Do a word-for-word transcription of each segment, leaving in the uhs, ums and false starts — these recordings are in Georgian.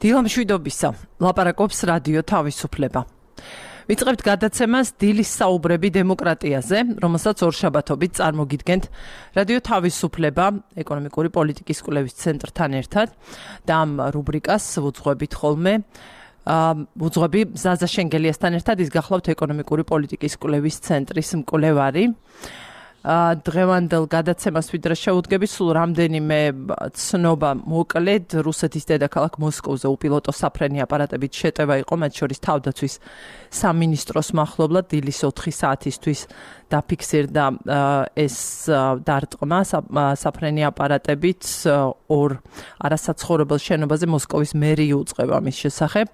დილამშვიდობისა, ლაპარაკობს რადიო თავისუფლება. ვიწყებთ გადაცემას დილის საუბრები დემოკრატიაზე, რომელსაც ორშაბათობით წარმოგიდგენთ რადიო თავისუფლება ეკონომიკური პოლიტიკის კვლევის ცენტრთან ერთად და ამ რუბრიკას ვუძღვებით ხოლმე ვუძღვები ზაზა შენგელიასთან ერთად, ის გახლავთ ეკონომიკური პოლიტიკის კვლევის ცენტრის მკვლევარი. დღევანდელ გადაცემას ვიდრე შეუდგები, სულ რამდენიმე ცნობა მოკლედ. რუსეთის დედაქალაქ მოსკოვზე უპილოტო საფრენი აპარატებით შეტევა იყო, მათ შორის თავდაცვის სამინისტროს მახლობლად დილის ოთხი საათისთვის დაფიქსირდა ეს დარტყმა საფრენი აპარატებით ორ არასაცხოვრებელ შენობაზე. მოსკოვის მერია უწყება მის შესახებ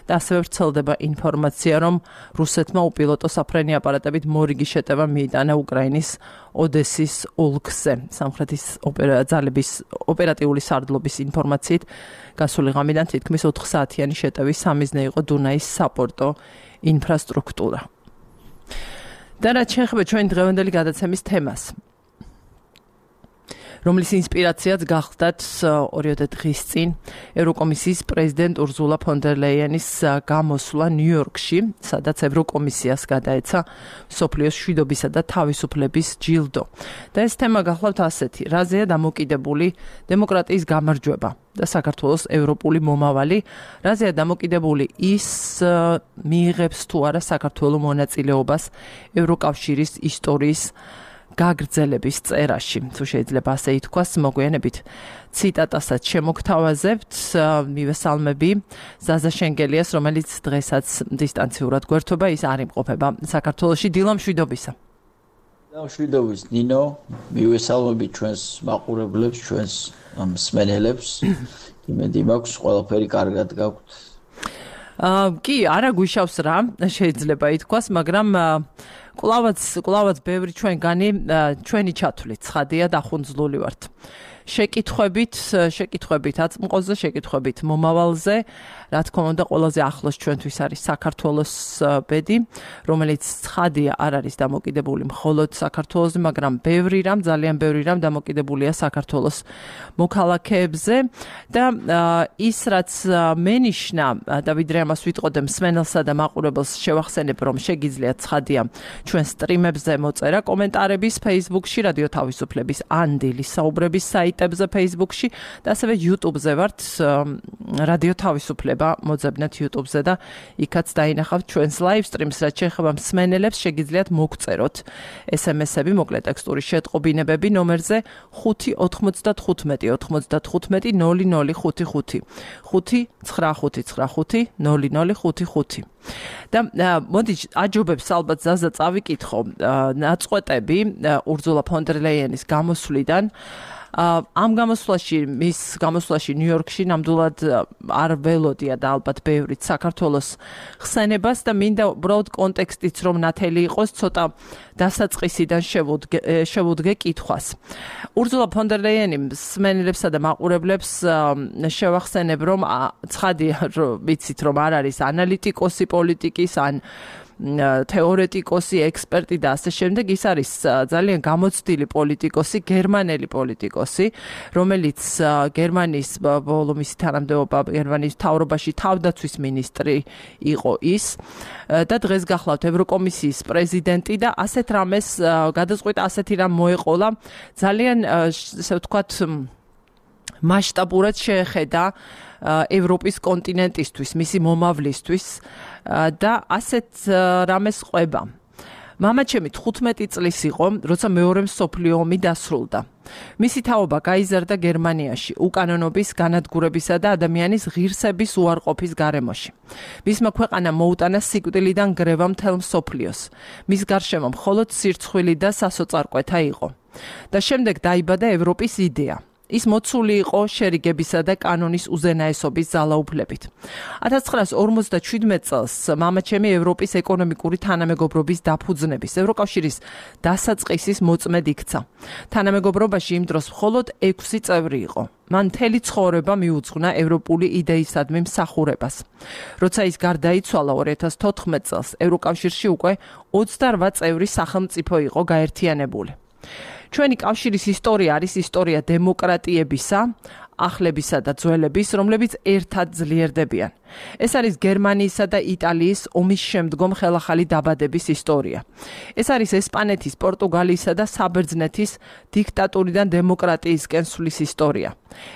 და ასევე ვრცელდება ინფორმაცია, რომ რუსეთმა უპილოტო საფრენი აპარატებით მორიგი შეტევა მიიტანა უკრაინის ოდესის ოლქზე. სამხრეთის ძალების ოპერატიული სარდლობის ინფორმაციით გასული ღამიდან თითქმის ოთხ საათიანი შეტევის სამიზნე იყო დუნაის საპორტო ინფრასტრუქტურა. და რაც შეეხება ჩვენ დღევანდელი გადაცემის თემას, რომლის ინსპირაციაც გახლდათ ორიოდე დღის წინ ევროკომისიის პრეზიდენტ ურზულა ფონ დერ ლეიენის გამოსვლა ნიუ-იორკში, სადაც ევროკომისიას გადაეცა მსოფლიოს მშვიდობისა და თავისუფლების ჯილდო. და ეს თემა გახლავთ ასეთი: რაზეა დამოკიდებული დემოკრატიის გამარჯვება და საქართველოს ევროპული მომავალი, რაზეა დამოკიდებული ის მიიღებს თუ არა საქართველოს მონაწილეობას ევროკავშირის ისტორიის გაგრძელების წერაში. თუ შეიძლება ასე ითქვას, მოგვიანებით ციტატასაც შემოგთავაზებთ. მივესალმები ზაზა შენგელიას, რომელიც დღესაც დისტანციურად გვერდება, ის არ იმყოფება საქართველოში. დილამშვიდობისა. დილამშვიდობის ნინო, მივესალმები ჩვენს მაყურებლებს, ჩვენს მსმენელებს. იმედი მაქვს, ყველაფერი კარგად გაქვთ. კი, არა გვიშავს რა, შეიძლება ითქვას, მაგრამ კლავაც კლავაც ბევრი ჩვენგანი ჩვენი ჩათვლით ცხადია დახუნძლული ვართ. შეკითხვებით, შეკითხვებით აწმყოზე, შეკითხვებით მომავალზე, რა თქმა უნდა, ყველაზე ახლოს ჩვენთვის არის საქართველოს ბედი, რომელიც ცხადია არ არის დამოკიდებული მხოლოდ საქართველოზე, მაგრამ ბევრი რამ, ძალიან ბევრი რამ დამოკიდებულია საქართველოს მოქალაქეებზე და ის რაც მენიშნა და ვიდრე ამას ვიტყოდე მსმენელსა და მაყურებელს შევახსენებ, რომ შეგიძლიათ ცხადია ჩვენ სტრიმებზე მოწერა კომენტარების Facebook-ში, რადიო თავისუფლების ან დილის საუბრების საიტებზე Facebook-ში და ასევე YouTube-ზე ვართ, რადიო თავისუფლება მოძებნეთ YouTube-ზე და იქაც დაინახავთ ჩვენს live streams, რაც შეეხება მსმენელებს, შეგიძლიათ მოგწეროთ ეს em es-ები, მოკლე ტექსტური შეტყობინებები ნომერზე ხუთი ოთხმოცდათხუთმეტი ოთხმოცდათხუთმეტი ნული ნული ხუთი ხუთი ხუთი ცხრა ხუთი ცხრა ხუთი ნული ნული ხუთი ხუთი. და მოდი აჯობებს ალბათ ზაზა წავიკითხო ნაწყვეტები ურზულა ფონ დერ ლეიენის გამოსვლიდან. ამ გამოსვლაში, მის გამოსვლაში ნიუ-იორკში ნამდვილად არ ველოდია და ალბათ ბევრიც საქართველოს ხსენებას და მინდა უბრალოდ კონტექსტიც რომ ნათელი იყოს, ცოტა დასაწყისიდან შევუდგე კითხვას. ურზულა ფონ დერ ლეიენი მსმენელებსა და მაყურებლებს შევახსენებ, რომ ცხადია ვიცით, რომ არ არის ანალიტიკოსი პოლიტიკის ან თეორეტიკოსი, ექსპერტი და ასე შემდეგ. ის არის ძალიან გამოცდილი პოლიტიკოსი, გერმანელი პოლიტიკოსი, რომელიც გერმანიის ბოლო მისი თანამდებობა გერმანიის მთავრობაში თავდაცვის მინისტრი იყო ის და დღეს გახლავთ ევროკომისიის პრეზიდენტი და ასეთ რამეს გადაწყვეტა, ასეთი რამ მოეყოლა, ძალიან ესე ვთქვათ მასშტაბურად შეეხედა ევროპის კონტინენტისთვის, მისი მომავლისთვის და ასეთ რამეს ყვება. მამაჩემი თხუთმეტი წლის იყო, როცა მეორე მსოფლიო ომი დასრულდა. მისი თაობა გაიზარდა გერმანიაში, უკანონობის, განადგურებისა და ადამიანის ღირსების უარყოფის გარემოში. მისმა ქვეყანამ მოუტანა სიკვდილიდან გრევა მთელ მსოფლიოს. მის გარშემო მხოლოდ სირცხვილი და სასოწარკვეთა იყო. და შემდეგ დაიბადა ევროპის იდეა. ის მოცული იყო შერიგებისა და კანონის უზენაესობის ძალაუფლებით. ათას ცხრაას ორმოცდაშვიდმეტ წელს მამაჩემი ევროპის ეკონომიკური თანამეგობრობის დაფუძნების ევროკავშირის დასაწყისის მოწმედ იქცა. თანამეგობრობაში იმ დროს მხოლოდ ექვსი წევრი იყო. მან მთელი ცხოვრება მიუძღვნა ევროპული იდეისადმი მსახურებას. როცა ის გარდაიცვალა ორი ათას თოთხმეტ წელს, ევროკავშირში უკვე ოცდარვა წევრი სახელმწიფო იყო გაერთიანებული. ჩვენი კავშირის ისტორია არის ისტორია დემოკრატიებისა, ახლებისა და ძველების, რომლებიც ერთად ძლიერდებიან. ეს არის გერმანიისა და იტალიის ომის შემდგომ ხელახალი დაბადების ისტორია. ეს არის ესპანეთის, პორტუგალიისა და საბერძნეთის დიქტატურიდან დემოკრატიისკენ სვლის ისტორია.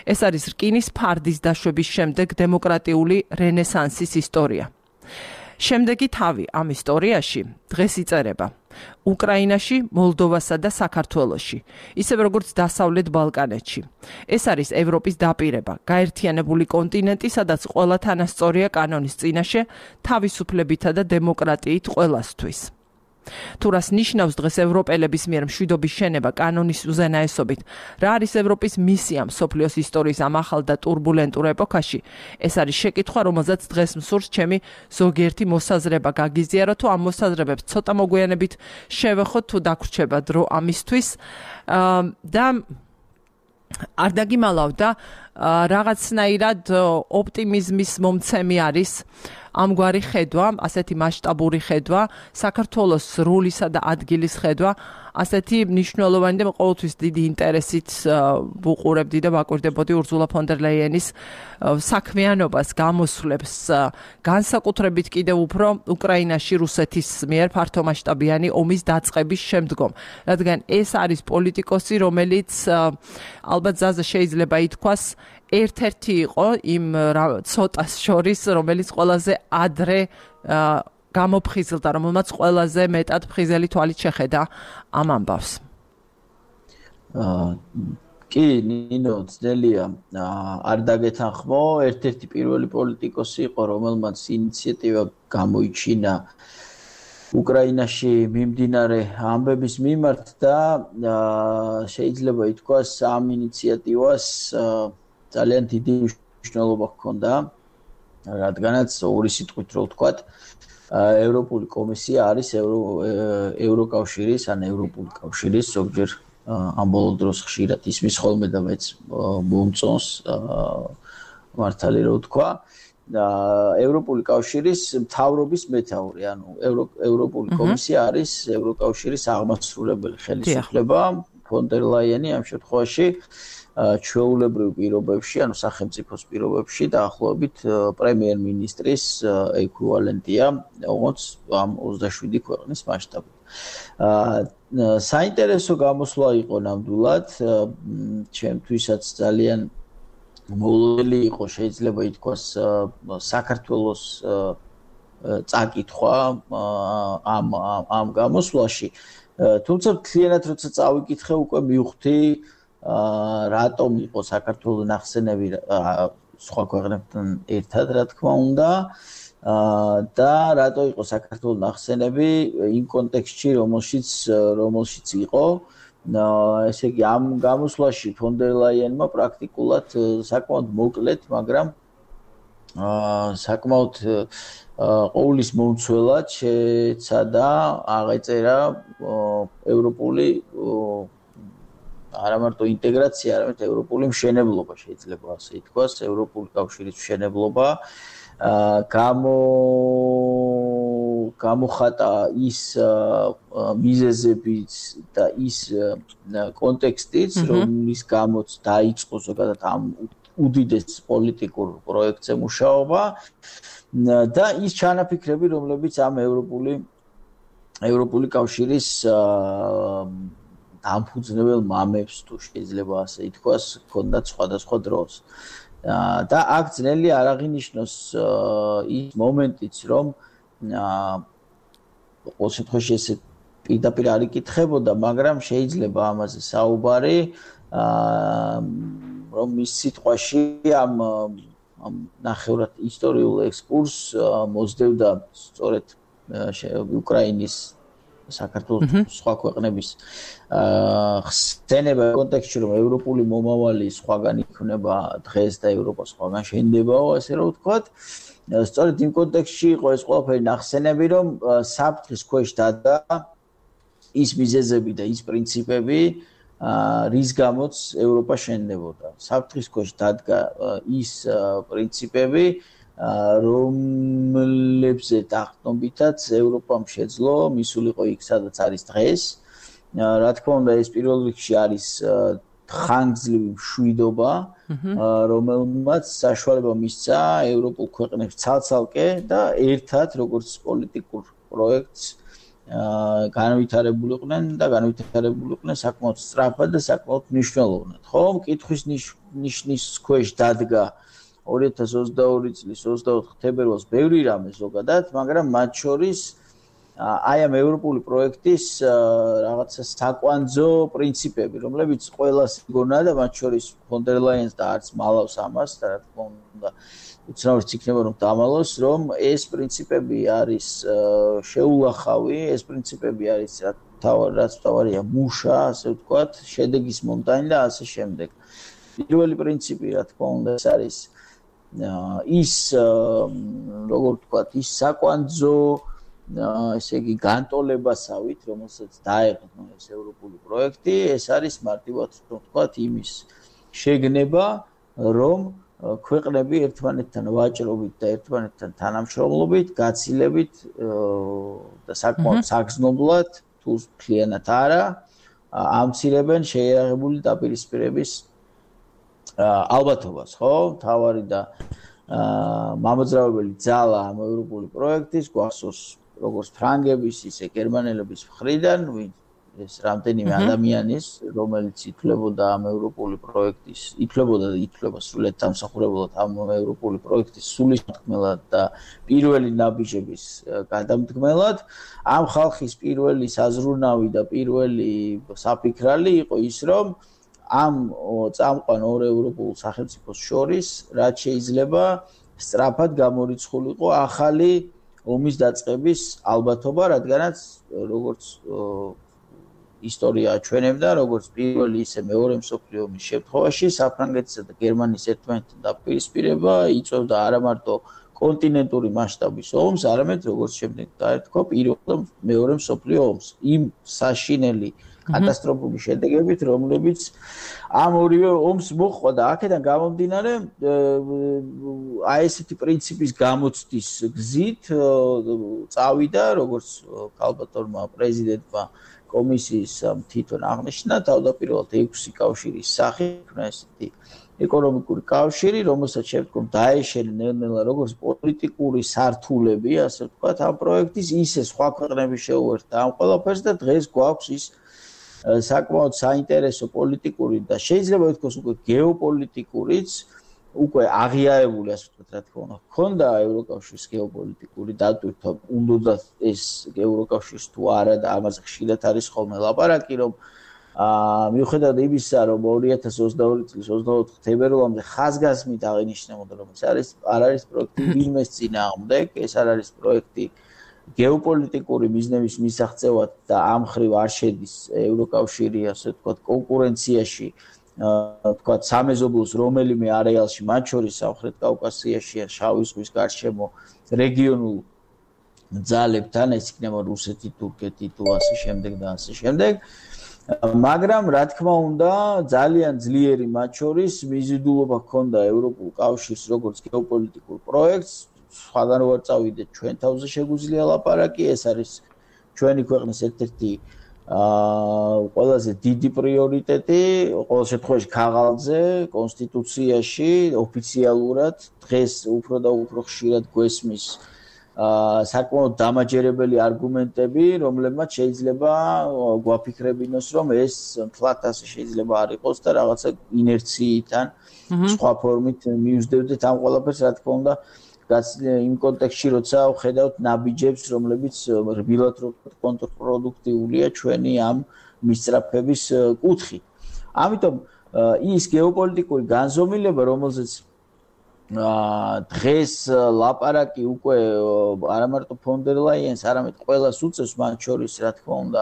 ეს არის რკინის ფარდის დაშვების შემდეგ დემოკრატიული რენესანსის ისტორია. შემდეგი თავი ამ ისტორიაში დღეს იწერება უკრაინაში, მოლდოვასა და საქართველოში, ისევე როგორც დასავლეთ ბალკანეთში. ეს არის ევროპის დაპირება, გაერთიანებული კონტინენტი, სადაც ყველა თანასწორია კანონის წინაშე, თავისუფლებითა და დემოკრატიით ყველასთვის. თუ რას ნიშნავს დღეს ევროპელების მიერ მშვიდობის შენება კანონის უზენაესობით, რა არის ევროპის მისია მსოფლიოს ისტორიის ამ ახალ და ტურბულენტურ ეპოქაში, ეს არის შეკითხვა, რომელზეც დღეს მსურს ჩემი ზოგიერთი მოსაზრება გაგიზიარო, თუ ამ მოსაზრებებს ცოტა მოგვიანებით შევეხოთ, თუ დაგვრჩება დრო ამისთვის და არ დაგიმალავ და რაღაცნაირად ოპტიმიზმის მომცემი არის ამგვარი ხედვა, ასეთი მასშტაბური ხედვა, საქართველოს როლისა და ადგილის ხედვა, ასეთი მნიშვნელოვანი და ყოველთვის დიდი ინტერესით ვუყურებდი და ვაკვირდებოდი ურზულა ფონ დერ ლაიენის საქმიანობას, გამოსვლებს, განსაკუთრებით კიდევ უფრო უკრაინაში რუსეთის მიერ ფართომასშტაბიანი ომის დაწყების შემდგომ, რადგან ეს არის პოლიტიკოსი, რომელიც ალბათ ზაზა შეიძლება ითქვას ერთ-ერთი იყო იმ ცოტას შორის, რომელიც ყველაზე ადრე გამოფხიზლდა, რომელმაც ყველაზე მეტად ფხიზელი თვალით შეხედა ამ ამბავს. კი, ნინო, ძნელია არ დაგეთანხმო, ერთ-ერთი პირველი პოლიტიკოსი იყო, რომელმაც ინიციატივა გამოიჩინა უკრაინაში მიმდინარე ამბების მიმართ და შეიძლება ითქვას ამ ინიციატივას ძალიან დიდი მნიშვნელობა ჰქონდა, რადგანაც ორი სიტყვით რო ვთქვათ, ევროპული კომისია არის ევროკავშირის, ან ევროპული კავშირის ზოგჯერ ამ ბოლო დროს ხშირად ისმის ხოლმე და მეც მომწონს მართალი რო ვთქვა, ევროპული კავშირის მთავრობის მეთაური, ანუ ევროპული კომისია არის ევროკავშირის აღმასრულებელი ხელისუფლება, ფონ დერ ლაიენი ამ შემთხვევაში ჩვეულებრივ პირობებში, ანუ სახელმწიფოს პირობებში დაახლოებით პრემიერ-მინისტრის ეკვივალენტია, როგორც ამ ოცდაშვიდი ქვეყნის მასშტაბით. საინტერესო გამოსვლა იყო ნამდვილად, ჩემთვისაც ძალიან მოულოდნელი იყო, შეიძლება ითქვას, საქართველოს წაკითხვა ამ ამ გამოსვლაში. თუმცა მთლიანად როცა წავიკითხე, უკვე მივხვდი რატომ იყო საქართველოს ნახსენები სხვა ქვეყნებთან ერთად, რა თქმა უნდა, და რატო იყო საქართველოს ნახსენები იმ კონტექსტში, რომელშიც რომელშიც იყო. ესე იგი, ამ გამოსვლაში ფონ დერ ლაიენმა პრაქტიკულად საკმაოდ მოკლედ, მაგრამ საკმაოდ ყოვლის მომცველად შეცადა აღეწერა ევროპული არა მარტო ინტეგრაცია, არამედ ევროპული მშენებლობა შეიძლება ასე ითქვას, ევროპული კავშირის მშენებლობა. გამო გამოხატა ის მიზეზებიც და ის კონტექსტიც, რომლის გამოც დაიწყო ზოგადად ამ უდიდეს პოლიტიკურ პროექტზე მუშაობა და ის ჩანაფიქრები, რომლებიც ამ ევროპული ევროპული კავშირის დამფუძნებელ მამებს, თუ შეიძლება ასე ითქვას, ჰქონდათ სხვადასხვა დროს. და აქ ძნელი არ აღინიშნოს ის მომენტიც, რომ ყოველ შემთხვევაში ესე პირდაპირ არ იკითხებოდა, მაგრამ შეიძლება ამაზე საუბარი, რომ ის სიტყვაში ამ ნახევრად ისტორიულ ექსკურსს მოსდევდა სწორედ უკრაინის საქართველოს სხვა ქვეყნების ხსენება კონტექსტში, რომ ევროპული მომავალი სხვაგან იქნება დღეს და ევროპა სხვაგან შენდებაო, ასე რომ ვთქვათ. სწორედ იმ კონტექსტში იყო ეს ყველაფერი ნახსენები, რომ საფრთხის ქვეშ დადგა ის მიზეზები და ის პრინციპები, რის გამოც ევროპა შენდებოდა. საფრთხის ქვეშ დადგა ის პრინციპები, რომლებზე დაყრდნობითაც ევროპამ შეძლო მისულიყო იქ, სადაც არის დღეს. რა თქმა უნდა, ეს პირველ რიგში არის ხანგრძლივი მშვიდობა, რომელმაც საშუალება მისცა ევროპულ ქვეყნებს ცალ-ცალკე და ერთად როგორც პოლიტიკურ პროექტს განვითარებულ იყვნენ და განვითარებულ იყვნენ საკმაოდ სწრაფად და საკმაოდ მნიშვნელოვნად. ხო, მკითხვის ნიშნის ქვეშ დადგა ორი ათას ოცდაორი წლის ოცდაოთხ თებერვალს ბევრი რამე ზოგადად, მაგრამ მათ შორის აი ამ ევროპული პროექტის რაღაცა საკვანძო პრინციპები, რომლებიც ყველას გონა და მათ შორის ფონ დერ ლაიენს და არც მალავს ამას და რა თქმა უნდა უცნაურიც იქნება რომ დამალოს, რომ ეს პრინციპები არის შეულახავი, ეს პრინციპები არის რაც თავარია მუშა, ასე ვთქვათ, შედეგის მომტანი და ასე შემდეგ. პირველი პრინციპი, რა თქმა უნდა, ეს არის ის როგორ ვთქვათ, ის საკვანძო ესე იგი განტოლებასავით, რომელსაც დაეყო ეს ევროპული პროექტი, ეს არის მარტივად ვთქვათ იმის შეგნება, რომ ქვეყნები ერთმანეთთან ვაჭრობით და ერთმანეთთან თანამშრომლობით, გაცილებით და საკმაოდ საგრძნობლად, თუ მთლიანად არა, ამცირებენ შეიარაღებული დაპირისპირების ალბათობას, ხო? თავარი და მამოძრავებელი ძალა ამ ევროპული პროექტის გვახსოვს როგორც ფრანგების, ისე გერმანელების მხრიდან, ეს რამდენიმე ადამიანის, რომელიც ითვლებოდა ამ ევროპული პროექტის, ითვლებოდა და ითვლება სრულად დამსახურებულად ამ ევროპული პროექტის სულისმთქმელად და პირველი ნაბიჯების გადამდგმელად, ამ ხალხის პირველი საზრუნავი და პირველი საფიქრალი იყო ის, რომ ამ წამყვან ორ ევროპულ სახელმწიფოს შორის, რაც შეიძლება სწრაფად გამორიცხულიყო ახალი ომის დაწყების ალბათობა, რადგანაც როგორც ისტორია აჩვენებდა, როგორც პირველი ისე მეორე მსოფლიო ომის შემთხვევაში საფრანგეთისა და გერმანიის ერთმანეთთან დაპირისპირება იწვევდა არა მარტო კონტინენტური მასშტაბის ომს, არამედ როგორც შემდეგ დაეთქვა პირველ და მეორე მსოფლიო ომს. იმ საშინელი კატასტროფული შედეგებით, რომლებიც ამ ორივე ომს მოჰყვა და აქედან გამომდინარე აი ესეთი პრინციპის გამოცდის გზით წავიდა, როგორც ქალბატონმა პრეზიდენტმა კომისიის თვითონ აღნიშნა, თავდაპირველად ექვსი კავშირის სახით, ესეთი ეკონომიკური კავშირი, რომელსაც შემდგომ დაეშენენ ნელ-ნელა როგორც პოლიტიკური სართულები, ასე ვთქვათ, ამ პროექტის, ისე სხვა ქვეყნები შეუერთდა ამ ყველაფერს და დღეს გვაქვს ის საკმაოდ საინტერესო პოლიტიკური და შეიძლება ითქვას უკვე გეოპოლიტიკურიც, უკვე აღიარებული, ასე ვთქვათ, რა თქმა უნდა, ჰქონდა ევროკავშირის გეოპოლიტიკური დატვირთვა, უნდა ეს ევროკავშირს თუ არა და ამაზე ხშირად არის ხოლმე ლაპარაკი, რომ მიუხედავად იმისა, რომ ორი ათას ოცდაორი წლის ოცდაოთხ თებერვალამდე ხაზგასმით აღინიშნებოდა, რომ ეს არის არ არის პროექტი ვინმეს წინააღმდეგ, ეს არ არის პროექტი გეოპოლიტიკური მიზნების მისაღწევად და ამ ხრივ არ შედის ევროკავშირი, ასე ვთქვათ, კონკურენციაში, ვთქვათ, სამეზობლოს რომელიმე არეალში, მათ შორის სამხრეთ კავკასიაში ან შავი ზღვის გარშემო რეგიონულ ძალებთან, ეს იქნება რუსეთი, თურქეთი თუ ასე შემდეგ და ასე შემდეგ. მაგრამ რა თქმა უნდა, ძალიან ძლიერი მათ შორის მიზიდულობა ჰქონდა ევროპულ კავშირს როგორც გეოპოლიტიკურ პროექტს, სხვაგან რო არ წავიდეთ, ჩვენ თავზე შეგვიძლია ლაპარაკი, ეს არის ჩვენი ქვეყნის ერთ-ერთი ყველაზე დიდი პრიორიტეტი, ყოველ შემთხვევაში ქაღალდზე, კონსტიტუციაში, ოფიციალურად დღეს უფრო და უფრო ხშირად გვესმის საკმაოდ დამაჯერებელი არგუმენტები, რომლებმაც შეიძლება გვაფიქრებინოს, რომ ეს მთლად ასე შეიძლება არ იყოს და რაღაცა ინერციიდან სხვა ფორმით მიუძდევდეთ ამ ყველაფერს, რა თქმა უნდა, იმ კონტექსტში, როცა ვხედავთ ნაბიჯებს, რომლებიც რბილად კონტრპროდუქტიულია ჩვენი ამ მისწრაფების კუთხით. ამიტომ ის გეოპოლიტიკური განზომილება, რომელზეც დღეს ლაპარაკი უკვე არა მარტო ფონ დერ ლაიენს, არამედ ყველას უწევს, მათ შორის, რა თქმა უნდა,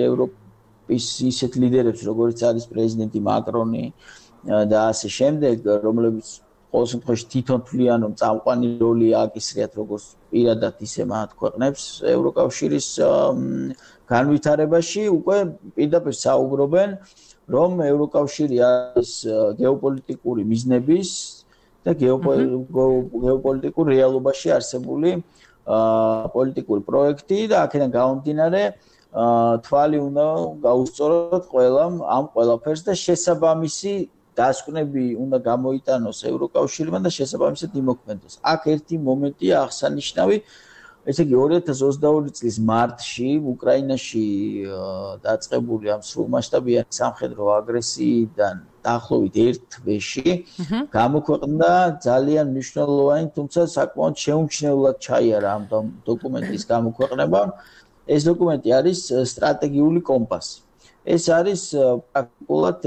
ევროპის ისეთ ლიდერებს, როგორც არის პრეზიდენტი მაკრონი და ასე შემდეგ, რომლებიც ყოველ შემთხვევაში თვითონ თვლიან, რომ წამყვანი როლი აკისრიათ როგორც პირადად, ისე მათ ქვეყნებს ევროკავშირის განვითარებაში, უკვე პირდაპირ საუბრობენ, რომ ევროკავშირი არის გეოპოლიტიკური მიზნების და გეოპოლიტიკურ რეალობაში არსებული პოლიტიკური პროექტი და აქედან გამომდინარე თვალი უნდა გაუსწოროთ ყველამ ამ ყველაფერს და შესაბამისი დასკვნები უნდა გამოიტანოს ევროკავშირმა და შესაბამისად იმოქმედოს. აქ ერთი მომენტია აღსანიშნავი, ესე იგი ორი ათას ოცდაორი წლის მარტში უკრაინაში დაწყებული ამ სრულმასშტაბიანი სამხედრო აგრესიიდან დაახლოებით ერთ თვეში გამოქვეყნდა ძალიან მნიშვნელოვანი, თუმცა საკმაოდ შეუმჩნევლად ჩაიარა ამ დოკუმენტის გამოქვეყნება. ეს დოკუმენტი არის სტრატეგიული კომპასი. ეს არის პრაქტიკულად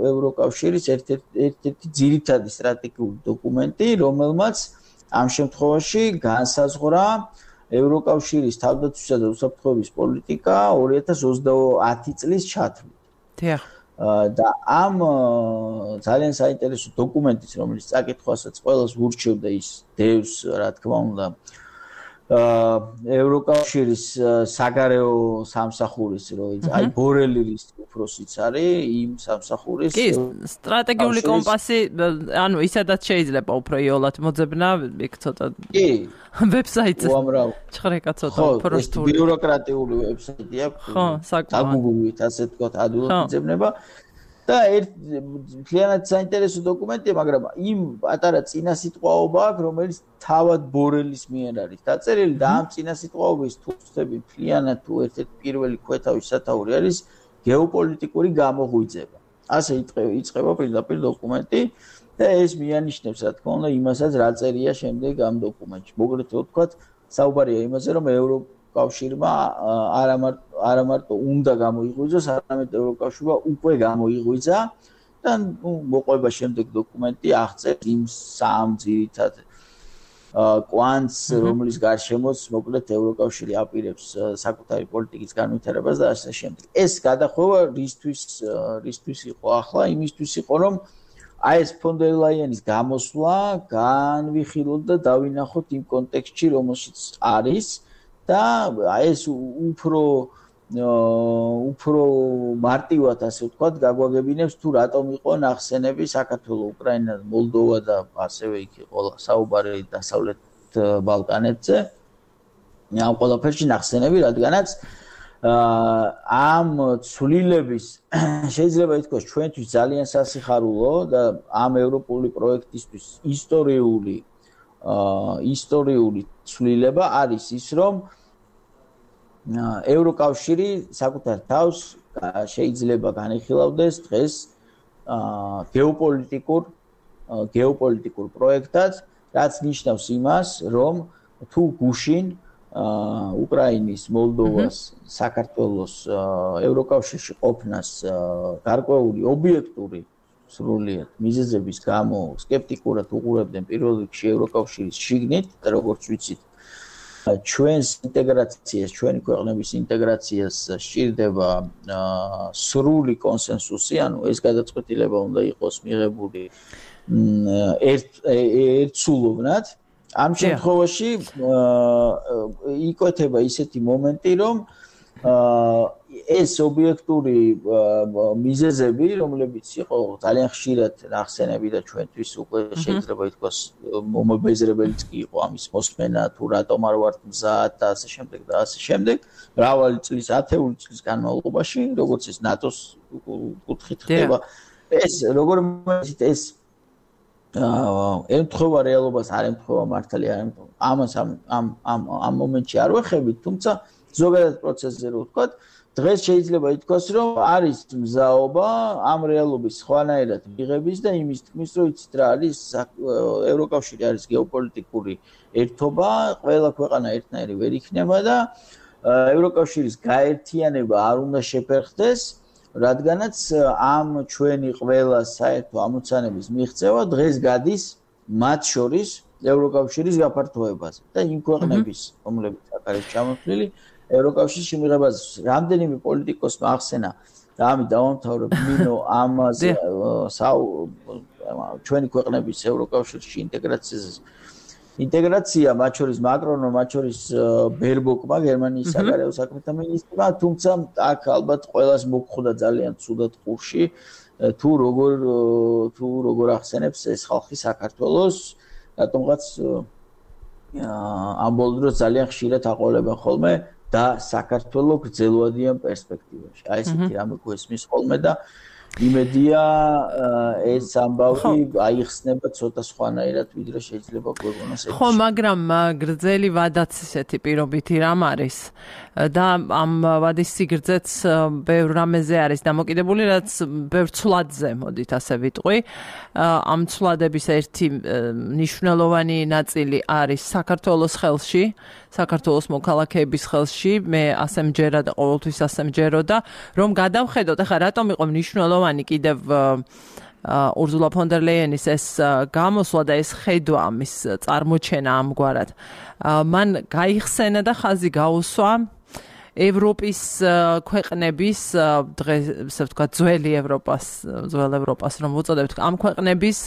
ევროკავშირის ერთ-ერთი ძირითადი სტრატეგიული დოკუმენტი, რომელმაც ამ შემთხვევაში განსაზღვრა ევროკავშირის თავდაცვისა და უსაფრთხოების პოლიტიკა ორი ათას ოცდაათი წლის ჩათვლით. დიახ. და ამ ძალიან საინტერესო დოკუმენტის, რომელიც წაკითხვასაც ყველას ურჩევდა ის დევს, რა თქმა უნდა, ევროკავშირის საგარეო სამსახურის როიც აი ბორელის უფროსიც არის იმ სამსახურის კი სტრატეგიული კომპასი ანუ ისედაც შეიძლება უფრო იოლად მოძებნა იქ ცოტა კი ვებსაიტზე უამრავ ჭხრეკა ცოტა პროსტული ბიუროკრატიული ვებსაიტი აქვს ხო საკუთრივით ასე თქვა ადვილად იძებნება და ერთ ძალიან საინტერესო დოკუმენტია, მაგრამ იმ პატარა წინასიტყვაობა აქვს, რომელიც თავად ბორელის მიერ არის დაწერილი და ამ წინასიტყვაობის თუ ვწდები მთლიანად თუ ერთ-ერთი პირველი ქვეთავის სათაური არის გეოპოლიტიკური გამოღვიძება. ასე იწყება პირდაპირ დოკუმენტი და ეს მიანიშნებს, რა თქმა უნდა, იმასაც რა წერია შემდეგ ამ დოკუმენტში. მოკლედ ვთქვათ, საუბარია იმაზე, რომ ევროკავშირმა არა მარტო უნდა გამოიღვიძოს, არამედ ევროკავშირმა უკვე გამოიღვიძა და მოყვება შემდეგ დოკუმენტი აღწერს იმ სამ ძირითად კვანტს, რომლის გარშემოც მოკლედ ევროკავშირი აპირებს საკუთარი პოლიტიკის განვითარებას და ასე შემდეგ. ეს გადახვევა რისთვის რისთვის იყო ახლა? იმისთვის იყო, რომ აი ეს ფონ დერ ლაიენის გამოსვლა განვიხილოთ და დავინახოთ იმ კონტექსტში, რომელშიც არის და ეს უფრო უფრო მარტივად ასე ვთქვათ, გაგვაგებინებს თუ რატომ იყო ნახსენები საქართველოს, უკრაინა, მოლდოვა და ასევე იქ იყო საუბარი დასავლეთ ბალკანეთზე. ამ ყველაფერში ნახსენები, რადგანაც ამ ცვლილების შეიძლება ითქვას ჩვენთვის ძალიან სასიხარულო და ამ ევროპული პროექტისთვის ისტორიული ისტორიული ცვლილება არის ის, რომ ევროკავშირი საკუთარ თავს შეიძლება განიხილავდეს დღეს გეოპოლიტიკურ გეოპოლიტიკურ პროექტად, რაც ნიშნავს იმას, რომ თუ გუშინ უკრაინის, მოლდოვას, საქართველოს ევროკავშირში ყოფნას გარკვეული ობიექტური სრულიად მიზეზების გამო სკეპტიკურად უყურებდნენ პირველ რიგში ევროკავშირის შიგნით და როგორც ვიცით ჩვენს ინტეგრაციას, ჩვენი ქვეყნების ინტეგრაციას სჭირდება სრული კონსენსუსი, ანუ ეს გადაწყვეტილება უნდა იყოს მიღებული ერთსულოვნად. ამ შემთხვევაში იკვეთება ისეთი მომენტი, რომ ეს ობიექტური მიზეზები, რომლებიც იყო ძალიან ხშირად ნახსენები და ჩვენთვის უკვე შეიძლება ითქვას მომობეზრებელიც კი იყო ამის მოსმენა, თუ რატომ არ ვართ მზად და ასე შემდეგ და ასე შემდეგ, მრავალი წლის, ათეული წლის განმავლობაში, როგორც ეს ნატოს კუთხით ხდება. ეს როგორ მოიცით ეს ემთხვევა რეალობას, არ ემთხვევა მართალი, არ ემთხვევა. ამას ამ ამ ამ მომენტში არ ვეხებით, თუმცა ზოგადად პროცესზე რო ვთქვათ, დღეს შეიძლება ითქვას, რომ არის მზაობა ამ რეალობის სხვანაირად მიღების და იმის თქმის, რომ იცით რა არის ევროკავშირი არის გეოპოლიტიკური ერთობა, ყველა ქვეყანა ერთნაირი ვერ იქნება და ევროკავშირის გაერთიანება არ უნდა შეფერხდეს, რადგანაც ამ ჩვენი ყველა საერთო ამოცანების მიღწევა დღეს გადის მათ შორის ევროკავშირის გაფართოებაზე და იმ ქვეყნების, რომლებიც აქ არის ჩამოთვლილი, ევროკავშირში მიღებაზე რამდენიმე პოლიტიკოსმა ახსენა და ამით დავამთავრებ მინო ამაზე ჩვენი ქვეყნების ევროკავშირში ინტეგრაციაზე ინტეგრაცია მათ შორის მაკრონმა, მათ შორის ბერბოკმა, გერმანიის საგარეო საქმეთა მინისტრმა, თუმცა აქ ალბათ ყველას მოგხვდა ძალიან ცუდად ყურში თუ როგორ თუ როგორ ახსენებს ეს ხალხი საქართველოს, რატომღაც ამ ბოლო დროს ძალიან ხშირად აყოლებენ ხოლმე და საქართველოს გრძელვადიან პერსპექტივაში. აი ესეთი რამე გვესმის ხოლმე და იმედია ეს ამბავი აიხსნება ცოტა სხვანაირად ვიდრე შეიძლება გვეგონოს ეს. ხო, მაგრამ გრძელი ვადაც ესეთი პირობითი რამ არის და ამ ვადის სიგრძეც ბევრ რამეზე არის დამოკიდებული, რაც ბევრ ცვლადზე, მოდით ასე ვიტყვი. ამ ცვლადების ერთი მნიშვნელოვანი ნაწილი არის საქართველოს ხელში, საქართველოს მოქალაქეების ხელში, მე ასე მჯერა და ყოველთვის ასე მჯეროდა, რომ გადავხედოთ, ახლა რატომ იყო მნიშვნელოვანი კიდევ ურზულა ფონ დერ ლეიენის ეს გამოსვლა და ეს ხედვა ამის წარმოჩენა ამგვარად. მან გაიხსენა და ხაზი გაუსვა ევროპის ქვეყნების დღეს ასე ვთქვათ ძველი ევროპას, ძველ ევროპას რომ უწოდებთ, ამ ქვეყნების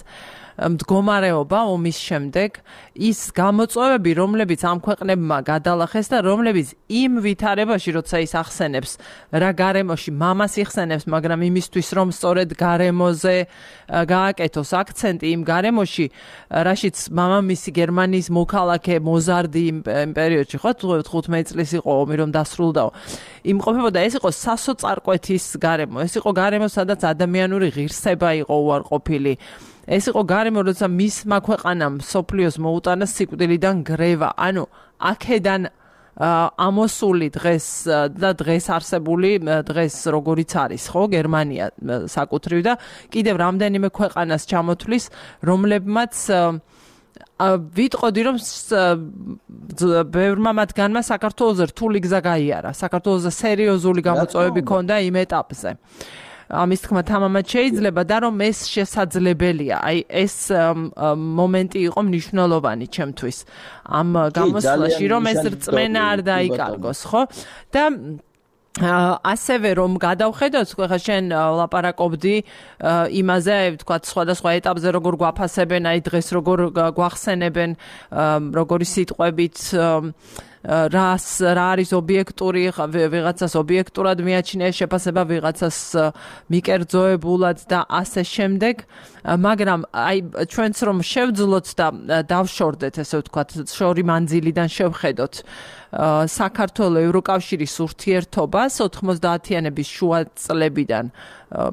მდგომარეობა ომის შემდეგ ის გამოწვევები, რომლებიც ამ ქვეყნებმა გადალახეს და რომლებიც იმ ვითარებაში, როცა ის ახსენებს, რა გარემოში მამას იხსენებს, მაგრამ იმისთვის, რომ სწორედ გარემოზე გააკეთოს აქცენტი იმ გარემოში, რაშიც მამამისი გერმანიის მოქალაქე მოზარდი იმ პერიოდში, ხო, თხუთმეტი წლის იყო ომი, რომ დასრულდაო. იმყოფებოდა, ეს იყო სასოწარკვეთის გარემო, ეს იყო გარემო, სადაც ადამიანური ღირსება იყო უარყოფილი. ეს იყო გარემო, როცა მისმა ქვეყანამ სოფლიოს მოუტანა სიკვდილიდან გრევა. ანუ აქედან ამოსული დღეს და დღეს არსებული დღეს როგორიც არის, ხო, გერმანია საკუთრივ და კიდევ რამდენიმე ქვეყანას ჩამოთვლის, რომლებმაც ვიტყოდი, რომ ბევრმა მათგანმა საქართველოზე რთული გზა გაიარა, საქართველოზე სერიოზული გამოწვევები ჰქონდა იმ ეტაპზე. ამის თქმა თამამად შეიძლება და რომ ეს შესაძლებელია. აი ეს მომენტი იყო მნიშვნელოვანი ჩემთვის ამ გამოსვლაში, რომ ეს რწმენა არ დაიკარგოს, ხო? და ასევე რომ გადავხედოთ, ხა შენ ლაპარაკობდი იმაზე, ვთქვათ, სხვადასხვა ეტაპზე როგორ გვაფასებენ, აი დღეს როგორ გვახსენებენ, როგორი სიტყვებით რას რა არის ობიექტური, ვიღაცას ობიექტურად მიაჩნია შეფასება, ვიღაცას მიკერძოებულად და ასე შემდეგ, მაგრამ აი ჩვენც რომ შევძლოთ და დავშორდეთ, ესე ვთქვათ, შორი მანძილიდან შევხედოთ საქართველოს ევროკავშირის ურთიერთობას ოთხმოცდაათიანების შუა წლებიდან,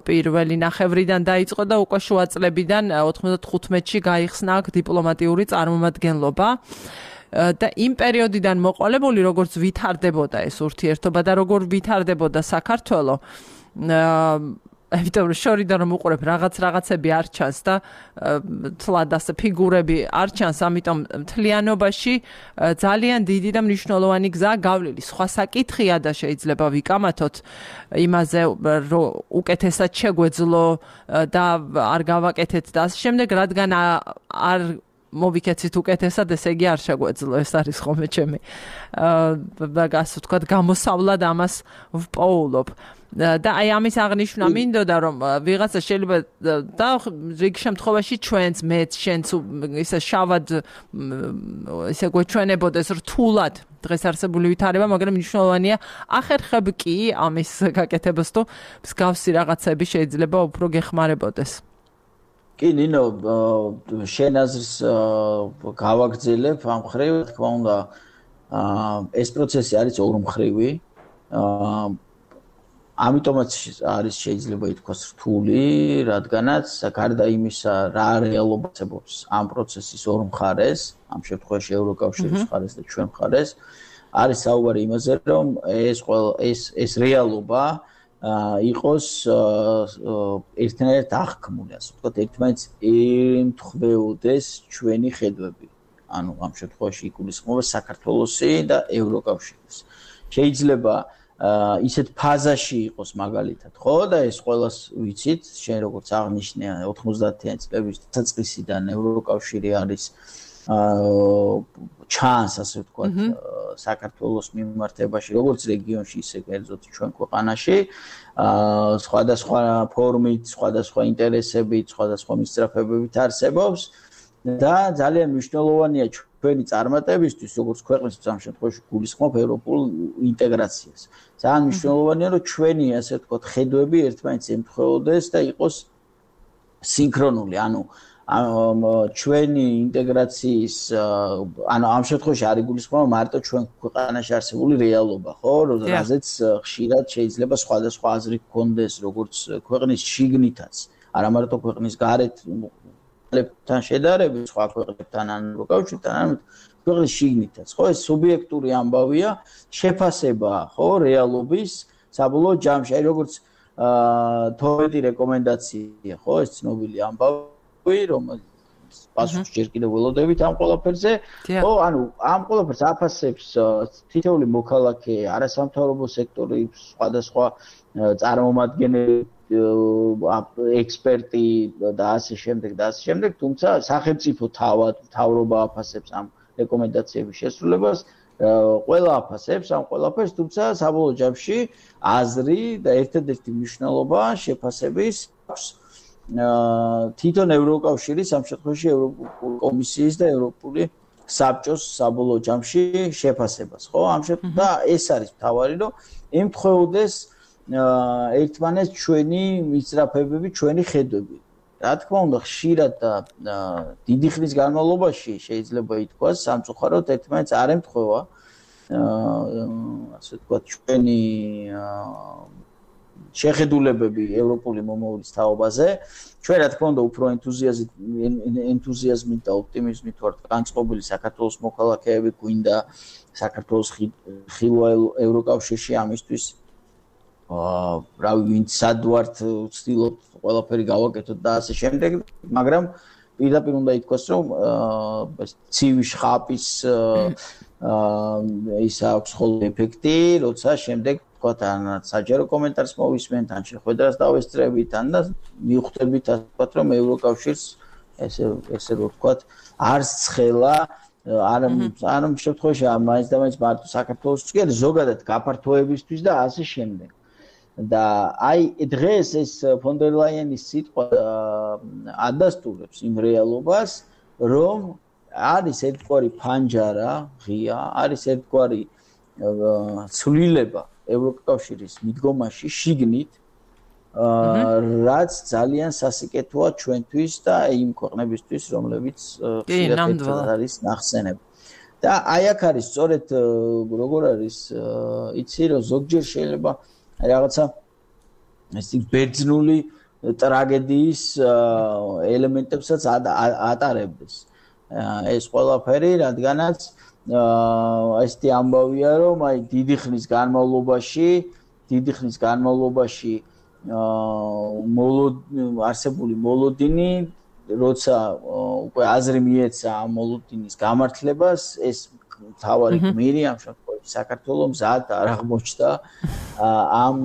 პირველი ნახევრიდან დაიწყო და უკვე შუა წლებიდან ოთხმოცდათხუთმეტში გაიხსნა აქ დიპლომატიური წარმომადგენლობა. და იმ პერიოდიდან მოყოლებული, როგორც ვითარდებოდა ეს ურთიერთობა და როგორ ვითარდებოდა საქართველო, ამიტომ შორიდან რომ უყურებ რაღაც რაღაცები არ ჩანს და თლად ასე ფიგურები არ ჩანს, ამიტომ მთლიანობაში ძალიან დიდი და მნიშვნელოვანი გზაა გავლილი. სხვა საკითხია და შეიძლება ვიკამათოთ იმაზე, რომ უკეთესად შეგვეძლო და არ გავაკეთეთ და ასე შემდეგ, რადგან არ მოვიქეცით უკეთესად, ესე იგი არ შეგვეძლო, ეს არის ხოლმე ჩემი აა ასე ვთქვათ, გამოსავლად ამას ვპოულობ. და აი ამის აღნიშვნა მინდოდა, რომ ვიღაცა შეიძლება და რიგ შემთხვევაში ჩვენც, მეც, შენც ისე შავად ისე გვეჩვენებოდეს რთულად დღეს არსებული ვითარება, მაგრამ მნიშვნელოვანია ახერხებ კი ამის გაკეთებას თუ მსგავსი რაღაცები შეიძლება უფრო გეხმარებოდეს. კი, ნინო, შენ აზრს გავაგრძელებ ამ მხრივ, თქმა უნდა, ეს პროცესი არის ორმხრივი. ამიტომაც არის შეიძლება ითქვას რთული, რადგანაც გარდა იმისა, რა რეალობაც ამ პროცესის ორ მხარეს, ამ შემთხვევაში ევროკავშირის მხარეს და ჩვენ მხარეს, არის საუბარი იმაზე, რომ ეს ეს ეს რეალობა იყოს ერთნაირად აღქმული, ასე ვთქვათ, ერთმანეთს ემთხვეოდეს ჩვენი ხედვები. ანუ ამ შემთხვევაში იგულისხმება საქართველოსი და ევროკავშირის. შეიძლება ისეთ ფაზაში იყოს მაგალითად, ხო, და ეს ყველას ვიცით, შენ როგორც აღნიშნე ოთხმოცდაათიანი წლების დასაწყისიდან ევროკავშირი არის ჩანს, ასე ვთქვათ, საქართველოს მიმართებაში, როგორც რეგიონში, ისე კერძოდ ჩვენ ქვეყანაში, სხვადასხვა ფორმით, სხვადასხვა ინტერესებით, სხვადასხვა მისწრაფებებით არსებობს და ძალიან მნიშვნელოვანია ჩვენი წარმატებისთვის, როგორც ქვეყნის ამ შემთხვევაში გულისხმობ ევროპულ ინტეგრაციას. ძალიან მნიშვნელოვანია, რომ ჩვენი, ასე ვთქვათ, ხედვები ერთმანეთს ემთხვეოდეს და იყოს სინქრონული, ანუ ჩვენი ინტეგრაციის ანუ ამ შემთხვევაში არ იგულისხმება მარტო ჩვენ ქვეყანაში არსებული რეალობა, ხო, რაზეც ხშირად შეიძლება სხვადასხვა აზრი გქონდეს, როგორც ქვეყნის შიგნითაც, არა მარტო ქვეყნის გარეთ თან შედარებით სხვა ქვეყნებთან ან უკავშირთან, ან ქვეყნის შიგნითაც, ხო, ეს სუბიექტური ამბავია, შეფასება, ხო, რეალობის საბოლოო ჯამში, აი როგორც თორმეტი რეკომენდაცია, ხო, ეს ცნობილი ამბავი, რომელიც პასუხს ჯერ კიდევ ველოდებით ამ ყველაფერზე, ხო, ანუ ამ ყველაფერს აფასებს თითოეული მოქალაქე, არასამთავრობო სექტორი, სხვადასხვა წარმომადგენელი, ექსპერტი და ასე შემდეგ და ასე შემდეგ, თუმცა სახელმწიფო თავად მთავრობა აფასებს ამ რეკომენდაციების შესრულებას, ყველა აფასებს ამ ყველაფერს, თუმცა საბოლოო ჯამში აზრი და ერთადერთი მნიშვნელობა შეფასების აქვს თვითონ ევროკავშირის, ამ შემთხვევაში ევროპული კომისიის და ევროპული საბჭოს საბოლოო ჯამში შეფასებას, ხო? ამ შემთხვევაში და ეს არის მთავარი, რომ ემთხვეოდეს ერთმანეთს ჩვენი მისწრაფებები, ჩვენი ხედვები. რა თქმა უნდა, ხშირად და დიდი ხნის განმავლობაში შეიძლება ითქვას, სამწუხაროდ ერთმანეთს არ ემთხვევა ასე ვთქვათ, ჩვენი შეხედულებები ევროპული მომავლის თაობაზე. ჩვენ რა თქმა უნდა უფრო ენთუზიაზმით ენთუზიაზმით და ოპტიმიზმით ვართ განწყობილი საქართველოს მოქალაქეები, გვინდა საქართველოს ხილვა ევროკავშირში ამისთვის აა რავი ვინც სად ვართ ვცდილობთ ყველაფერი გავაკეთოთ და ასე შემდეგ, მაგრამ პირდაპირ უნდა ითქვას, რომ აა ცივი შხაპის აა ის აქვს ხოლმე ეფექტი, როცა შემდეგ ვთქვათ, ან საჯარო კომენტარს მოვისმენთ, ან შეხვედრას დავესწრებით, ან და მივხვდებით, ასე ვთქვათ, რომ ევროკავშირს ესე ესე ვთქვათ, არც ცხელა არ არ შემთხვევაში მაინც და მაინც მარტო საქართველოს კი არა, ზოგადად გაფართოებისთვის და ასე შემდეგ. და აი დღეს ეს ფონ დერ ლაიენის სიტყვა ადასტურებს იმ რეალობას, რომ არის ერთგვარი ფანჯარა ღია, არის ერთგვარი ცვლილება ევროკავშირის მიდგომაში შიგნით, რაც ძალიან სასიკეთოა ჩვენთვის და იმ ქვეყნებისთვის, რომლებიც ხშირად არის ნახსენები. და აი აქ არის სწორედ როგორ არის, იცი რომ ზოგჯერ შეიძლება რაღაცა ეს ბერძნული ტრაგედიის ელემენტებსაც ატარებდეს. ეს ყველაფერი, რადგანაც ესეთი ამბავია, რომ აი დიდი ხნის განმავლობაში, დიდი ხნის განმავლობაში არსებული მოლოდინი, როცა უკვე აზრი მიეცა ამ მოლოდინის გამართლებას, ეს თავარი გმირი ამ შემთხვევაში საქართველოს მზად არ აღმოჩნდა ამ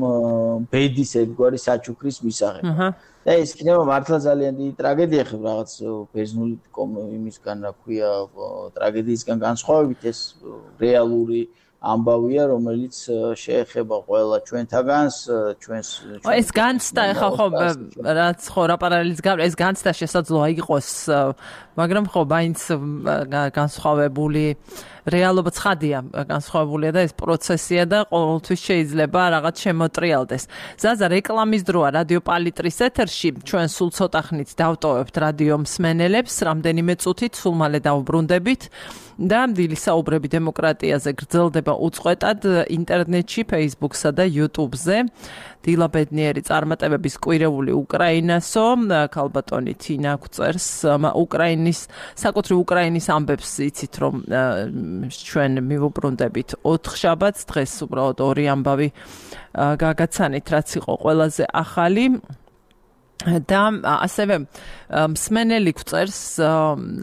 ბედის ერთგვარი საჩუქრის მისაღებად. და ეს იქნება მართლა ძალიან დიდი ტრაგედია, ხო, რაღაც ბერძნული იმისგან, რა ქვია, ტრაგედიისგან განსხვავებით, ეს რეალური ამბავია, რომელიც შეეხება ყველა ჩვენთაგანს, ჩვენს ეს განცდა ხა ხო რაც ხო რა პარალელის გავლ ეს განცდა შესაძლოა იყოს, მაგრამ ხო მაინც განსხვავებული რეალობა ცხადია, განსხვავებულია და ეს პროცესია და ყოველთვის შეიძლება რაღაც შემოტრიალდეს. ზაზა, რეკლამის დროა რადიო პალიტრის ეთერში, ჩვენ სულ ცოტა ხნით დავტოვებთ რადიო მსმენელებს, რამდენიმე წუთით სულ მალე დავბრუნდებით და დილის საუბრები დემოკრატიაზე გრძელდება უწყვეტად ინტერნეტში, Facebook-სა და YouTube-ზე. დილა ბედნიერი წარმატებების კვირეული უკრაინასო, ქალბატონი თინა გვწერს, უკრაინის, საკუთრივ უკრაინის ამბებს იცით, რომ ჩვენ მივუბრუნდებით ოთხ შაბათს, დღეს უბრალოდ ორი ამბავი გაგაცანით, რაც იყო ყველაზე ახალი. და ასევე მსმენელი გვწერს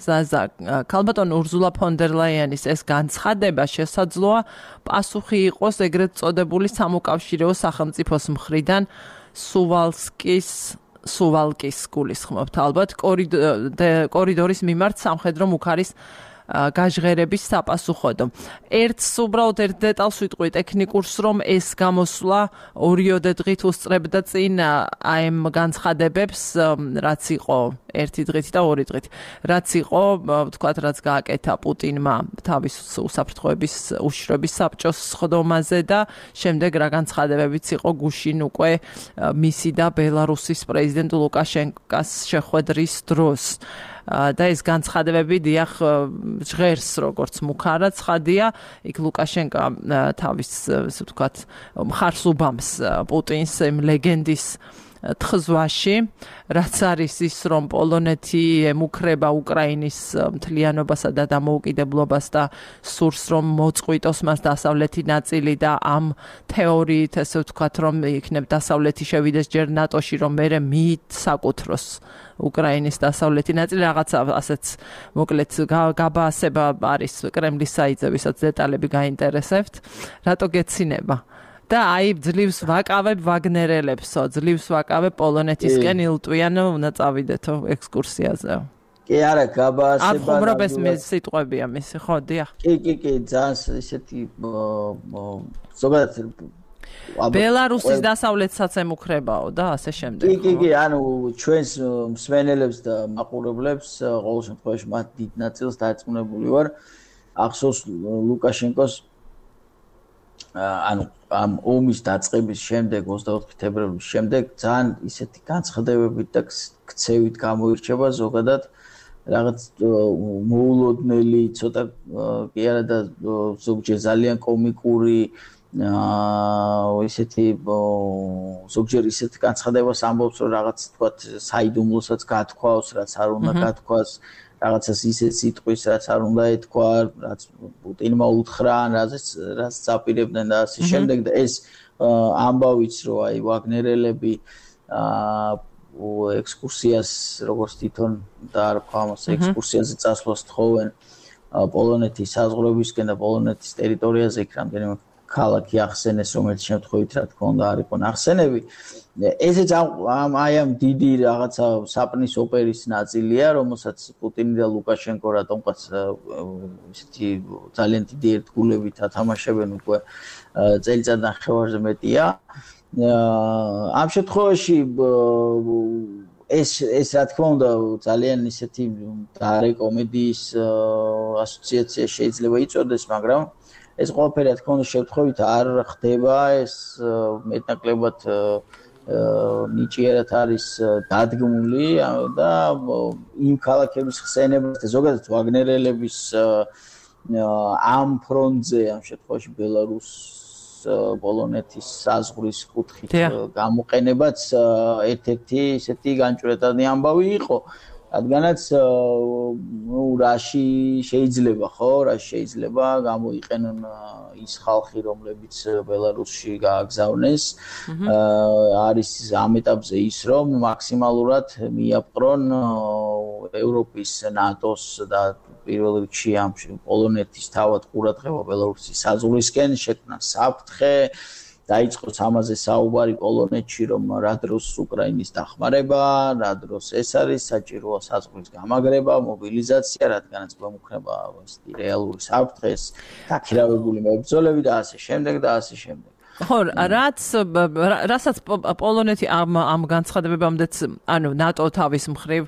ზაზა, ქალბატონ ურზულა ფონ დერ ლაიენის ეს განცხადება შესაძლოა პასუხი იყოს ეგრეთ წოდებული სამოკავშირეო სახელმწიფოს მხრიდან სუვალსკის სუვალკის გულისხმობთ ალბათ კორიდორის მიმართ სამხედრო მუქარის გაჟღერების საპასუხოდო. ერთს უბრალოდ ერთ დეტალს ვიტყვი ტექნიკურს, რომ ეს გამოსვლა ორიოდე დღით უსწრებდა წინ აი ამ განცხადებებს, რაც იყო ერთი დღით და ორი დღით. რაც იყო, ვთქვათ, რაც გააკეთა პუტინმა თავის უსაფრთხოების უშიშროების საბჭოს სხდომაზე და შემდეგ რა განცხადებებიც იყო გუშინ უკვე მისი და ბელარუსის პრეზიდენტ ლუკაშენკოს შეხვედრის დროს. და ეს განცხადებები დიახ ჟღერს როგორც მუქარა ცხადია, იქ ლუკაშენკო თავის ასე ვთქვათ მხარს უბამს პუტინს იმ ლეგენდის თხზვაში, რაც არის ის, რომ პოლონეთი ემუქრება უკრაინის მთლიანობასა და დამოუკიდებლობას და სურს, რომ მოწყვიტოს მას დასავლეთი ნაწილი და ამ თეორიით, ასე ვთქვათ, რომ იქნებ დასავლეთი შევიდეს ჯერ ნატოში, რომ მერე მიისაკუთროს უკრაინის დასავლეთი ნაწილი, რაღაცა ასეც მოკლედ გაბაასება არის კრემლის საიტზე, ვისაც დეტალები გაინტერესებთ, რატო გეცინება? და აი ძლივს ვაკავებ ვაგნერელებსო, ძლივს ვაკავებ პოლონეთისკენ ილტვიან, უნდა წავიდეთო ექსკურსიაზე. კი, არა, გაბაასება. არ ხუმრობ ეს მე სიტყვებია მისი, ხო, დიახ. კი, კი, კი, ძალიან ისეთი ზოგადად ბელარუსის დასავლეთსაც ემუქრებაო და ასე შემდეგ. კი, კი, კი, ანუ ჩვენს მსმენელებს და მაყურებლებს ყოველ შემთხვევაში მათ დიდ ნაწილს დარწმუნებული ვარ. ახსოვს ლუკაშენკოს ანუ ამ ომის დაწყების შემდეგ ოცდაოთხი თებერვლის შემდეგ ძალიან ისეთი განცხადებებით და ქცევით გამოირჩევა ზოგადად რაღაც მოულოდნელი ცოტა კი არა და ზოგჯერ ძალიან კომიკური აა ისეთი ზოგჯერ ისეთი განცხადებას ამბობს რომ რაღაც თქვა საიდუმლოსაც გათქვავს, რაც არ უნდა გათქვას, რაღაცას ისეთ სიტყვის, რაც არ უნდა ეთქვა, რაც პუტინმა უთხრა, რაზეც რაც წაპირებდნენ და ასე შემდეგ და ეს ამბავიც რომ აი ვაგნერელები აა ექსკურსიას როგორც თვითონ და არ ვქვა ამას ექსკურსიაზე წასვლას თხოვენ პოლონეთის საზღვრებისკენ და პოლონეთის ტერიტორიაზე იქ რამდენიმე ქალაქი ახსენეს, რომელიც შემთხვევით რა თქმა უნდა არ იყო ნახსენები. ესეც ამ აი ამ დიდი რაღაცა საპნის ოპერის ნაწილია, რომელსაც პუტინი და ლუკაშენკო რატომღაც ისეთი ძალიან დიდი ერთგულებით ათამაშებენ უკვე წელიწად ნახევარზე მეტია. ამ შემთხვევაში ეს ეს რა თქმა უნდა ძალიან ისეთი დარე კომედიის ასოციაცია შეიძლება იწოდეს, მაგრამ ეს ყველაფერი რა თქმა უნდა შემთხვევით არ ხდება, ეს მეტნაკლებად ნიჭიერად არის დადგმული და იმ ქალაქების ხსენებას და ზოგადად ვაგნერელების ამ ფრონტზე ამ შემთხვევაში ბელარუს პოლონეთის საზღვრის კუთხით გამოყენებაც ერთ-ერთი ისეთი განჭვრეტადი ამბავი იყო. რადგანაც ნუ რაში შეიძლება ხო, რაში შეიძლება გამოიყენონ ის ხალხი, რომლებიც ბელარუსში გააგზავნეს. არის ამ ეტაპზე ის, რომ მაქსიმალურად მიაპყრონ ევროპის, ნატოს და პირველ რიგში ამ პოლონეთის თავად ყურადღება ბელარუსის საზღვრისკენ, შექმნა საფრთხე. დაიწყოს ამაზე საუბარი პოლონეთში, რომ რა დროს უკრაინის დახმარება, რა დროს ეს არის საჭიროა საზღვრის გამაგრება, მობილიზაცია, რადგანაც გვემუქრება ესეთი რეალური საფრთხე, დაქირავებული მებრძოლები და ასე შემდეგ და ასე შემდეგ. ხო, რაც რასაც პოლონეთი ამ ამ განცხადებებამდეც, ანუ ნატო თავის მხრივ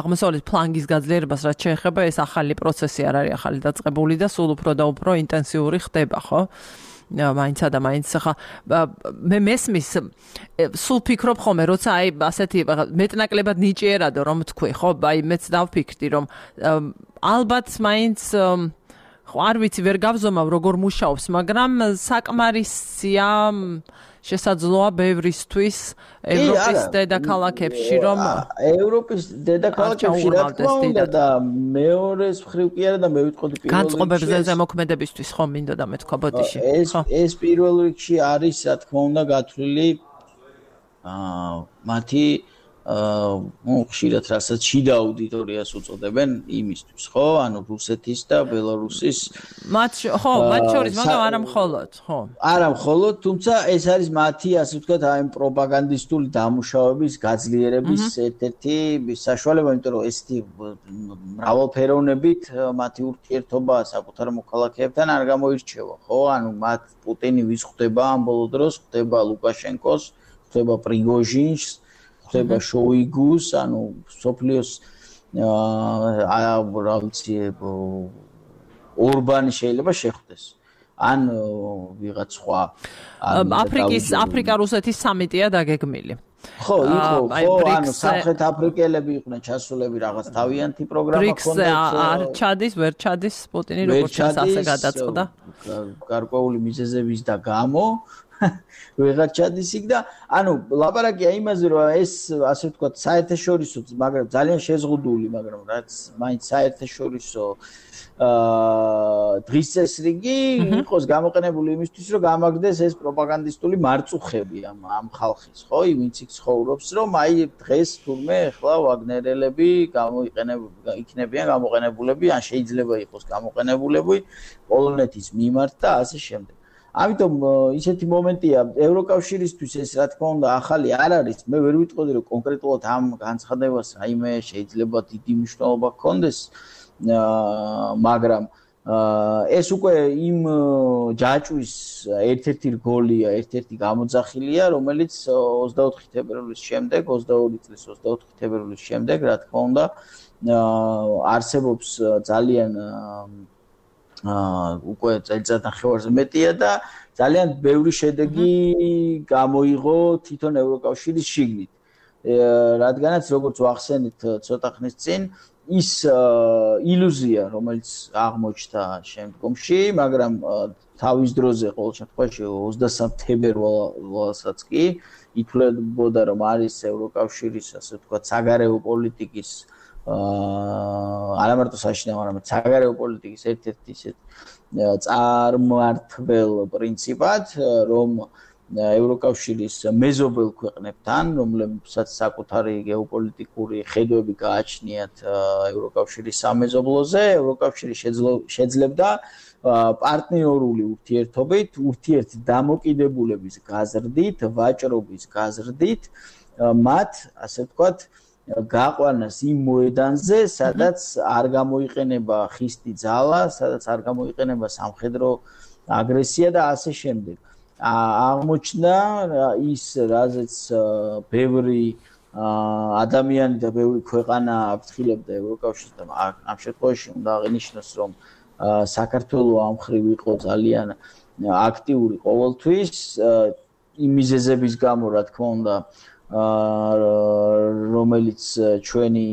აღმოსავლეთ ფლანგის გაძლიერებას რაც შეეხება, ეს ახალი პროცესი არ არის ახალი დაწყებული და სულ უფრო და უფრო ინტენსიური ხდება, ხო? მაინცა და მაინც ხა მე მესმის სულ ფიქრობ ხოლმე როცა აი ასეთი მეტნაკლებად ნიჭიერადო რომ თქვი ხო აი მეც დავფიქრდი რომ ალბათ მაინც ხო არ ვიცი ვერ გავზომავ როგორ მუშაობს მაგრამ საკმარისია შესაძლოა ბევრისთვის ევროპის დედაქალაქებში რომ ევროპის დედაქალაქებში რა თქმა უნდა და მეორეს მხრივ კი არა და მე ვიტყოდი პირველ რიგში განწყობებზე ზემოქმედებისთვის ხო მინდოდა მეთქვა ბოდიში ეს ეს პირველ რიგში არის რა თქმა უნდა გათვლილი აა მათი ну, ხშირად რასაც შიდა აუდიტორიას უწოდებენ იმისთვის, ხო? ანუ რუსეთის და ბელარუსის მათ ხო, მათ შორის, მაგრამ არა მხოლოდ, ხო. არა მხოლოდ, თუმცა ეს არის მათი, ასე ვთქვათ, აი პროპაგანდისტული დამუშავების გაძლიერების ერთ-ერთი საშუალება, იმიტომ რომ ესეთი მრავალფეროვნებით მათი ურთიერთობა საკუთარ მოქალაქეებთან არ გამოირჩევა, ხო? ანუ მათ პუტინი ვის ხვდება ამ ბოლო დროს, ხვდება ლუკაშენკოს, ხვდება პრიგოჟინს, ხდება შოიგუს, ანუ სოფლიოს აა რა ვიცი ორბანი შეიძლება შეხვდეს. ან ვიღაც სხვა აფრიკის აფრიკა-რუსეთის სამიტია დაგეგმილი. ხო, იყო, ხო, ანუ სამხრეთ აფრიკელები იყვნენ ჩასულები რაღაც თავიანთი პროგრამა ქონდათ. არ ჩადის, ვერ ჩადის პუტინი როგორც ჩანს ასე გადაწყდა. გარკვეული მიზეზების და გამო ვეღარ ჩადის იქ და ანუ ლაპარაკია იმაზე რომ ეს ასე ვთქვათ საერთაშორისო მაგრამ ძალიან შეზღუდული მაგრამ რაც მაინც საერთაშორისო აა დღის წესრიგი იყოს გამოყენებული იმისთვის რომ გამაგდეს ეს პროპაგანდისტული მარწუხები ამ ამ ხალხის ხო ვინც იქ ცხოვრობს რომ აი დღეს თურმე ახლა ვაგნერელები გამოიყენებიან იქნებიან გამოყენებულები ან შეიძლება იყოს გამოყენებულები პოლონეთის მიმართ და ასე შემდეგ ამიტომ ისეთი მომენტია ევროკავშირისთვის ეს რა თქმა უნდა ახალი არ არის მე ვერ ვიტყოდი რომ კონკრეტულად ამ განცხადებას რაიმე შეიძლება დიდი მნიშვნელობა ჰქონდეს მაგრამ ეს უკვე იმ ჯაჭვის ერთ-ერთი რგოლია ერთ-ერთი გამოძახილია რომელიც ოცდაოთხი თებერვლის შემდეგ ოცდაორი წლის ოცდაოთხი თებერვლის შემდეგ რა თქმა უნდა არსებობს ძალიან აა უკვე წელიწად ნახევარზე მეტია და ძალიან ბევრი შედეგი გამოიღო თვითონ ევროკავშირის შიგნით. რადგანაც როგორც ვახსენით ცოტა ხნის წინ ის ილუზია რომელიც აღმოჩნდა შემდგომში, მაგრამ თავის დროზე ყოველ შემთხვევაში ოცდასამი თებერვალსაც კი ითვლებოდა რომ არის ევროკავშირის ასე ვთქვათ საგარეო პოლიტიკის აა არა მარტო საშინაო, არამედ საგარეო პოლიტიკის ერთ-ერთი ისეთ წარმმართველ პრინციპად, რომ ევროკავშირის მეზობელ ქვეყნებთან, რომლებსაც საკუთარი გეოპოლიტიკური ხედვები გააჩნიათ ევროკავშირის სამეზობლოზე, ევროკავშირი შეძლებდა პარტნიორული ურთიერთობით, ურთიერთ დამოკიდებულების გაზრდით, ვაჭრობის გაზრდით, მათ, ასე ვთქვათ, გაყვანას იმ მოედანზე, სადაც არ გამოიყენება ხისტი ძალა, სადაც არ გამოიყენება სამხედრო აგრესია და ასე შემდეგ. აღმოჩნდა ის, რაზეც ბევრი ადამიანი და ბევრი ქვეყანა აფრთხილებდა ევროკავშირს და ამ შემთხვევაში უნდა აღინიშნოს, რომ საქართველო ამ მხრივ იყო ძალიან აქტიური ყოველთვის, იმ მიზეზების გამო, რა თქმა უნდა, რომელიც ჩვენი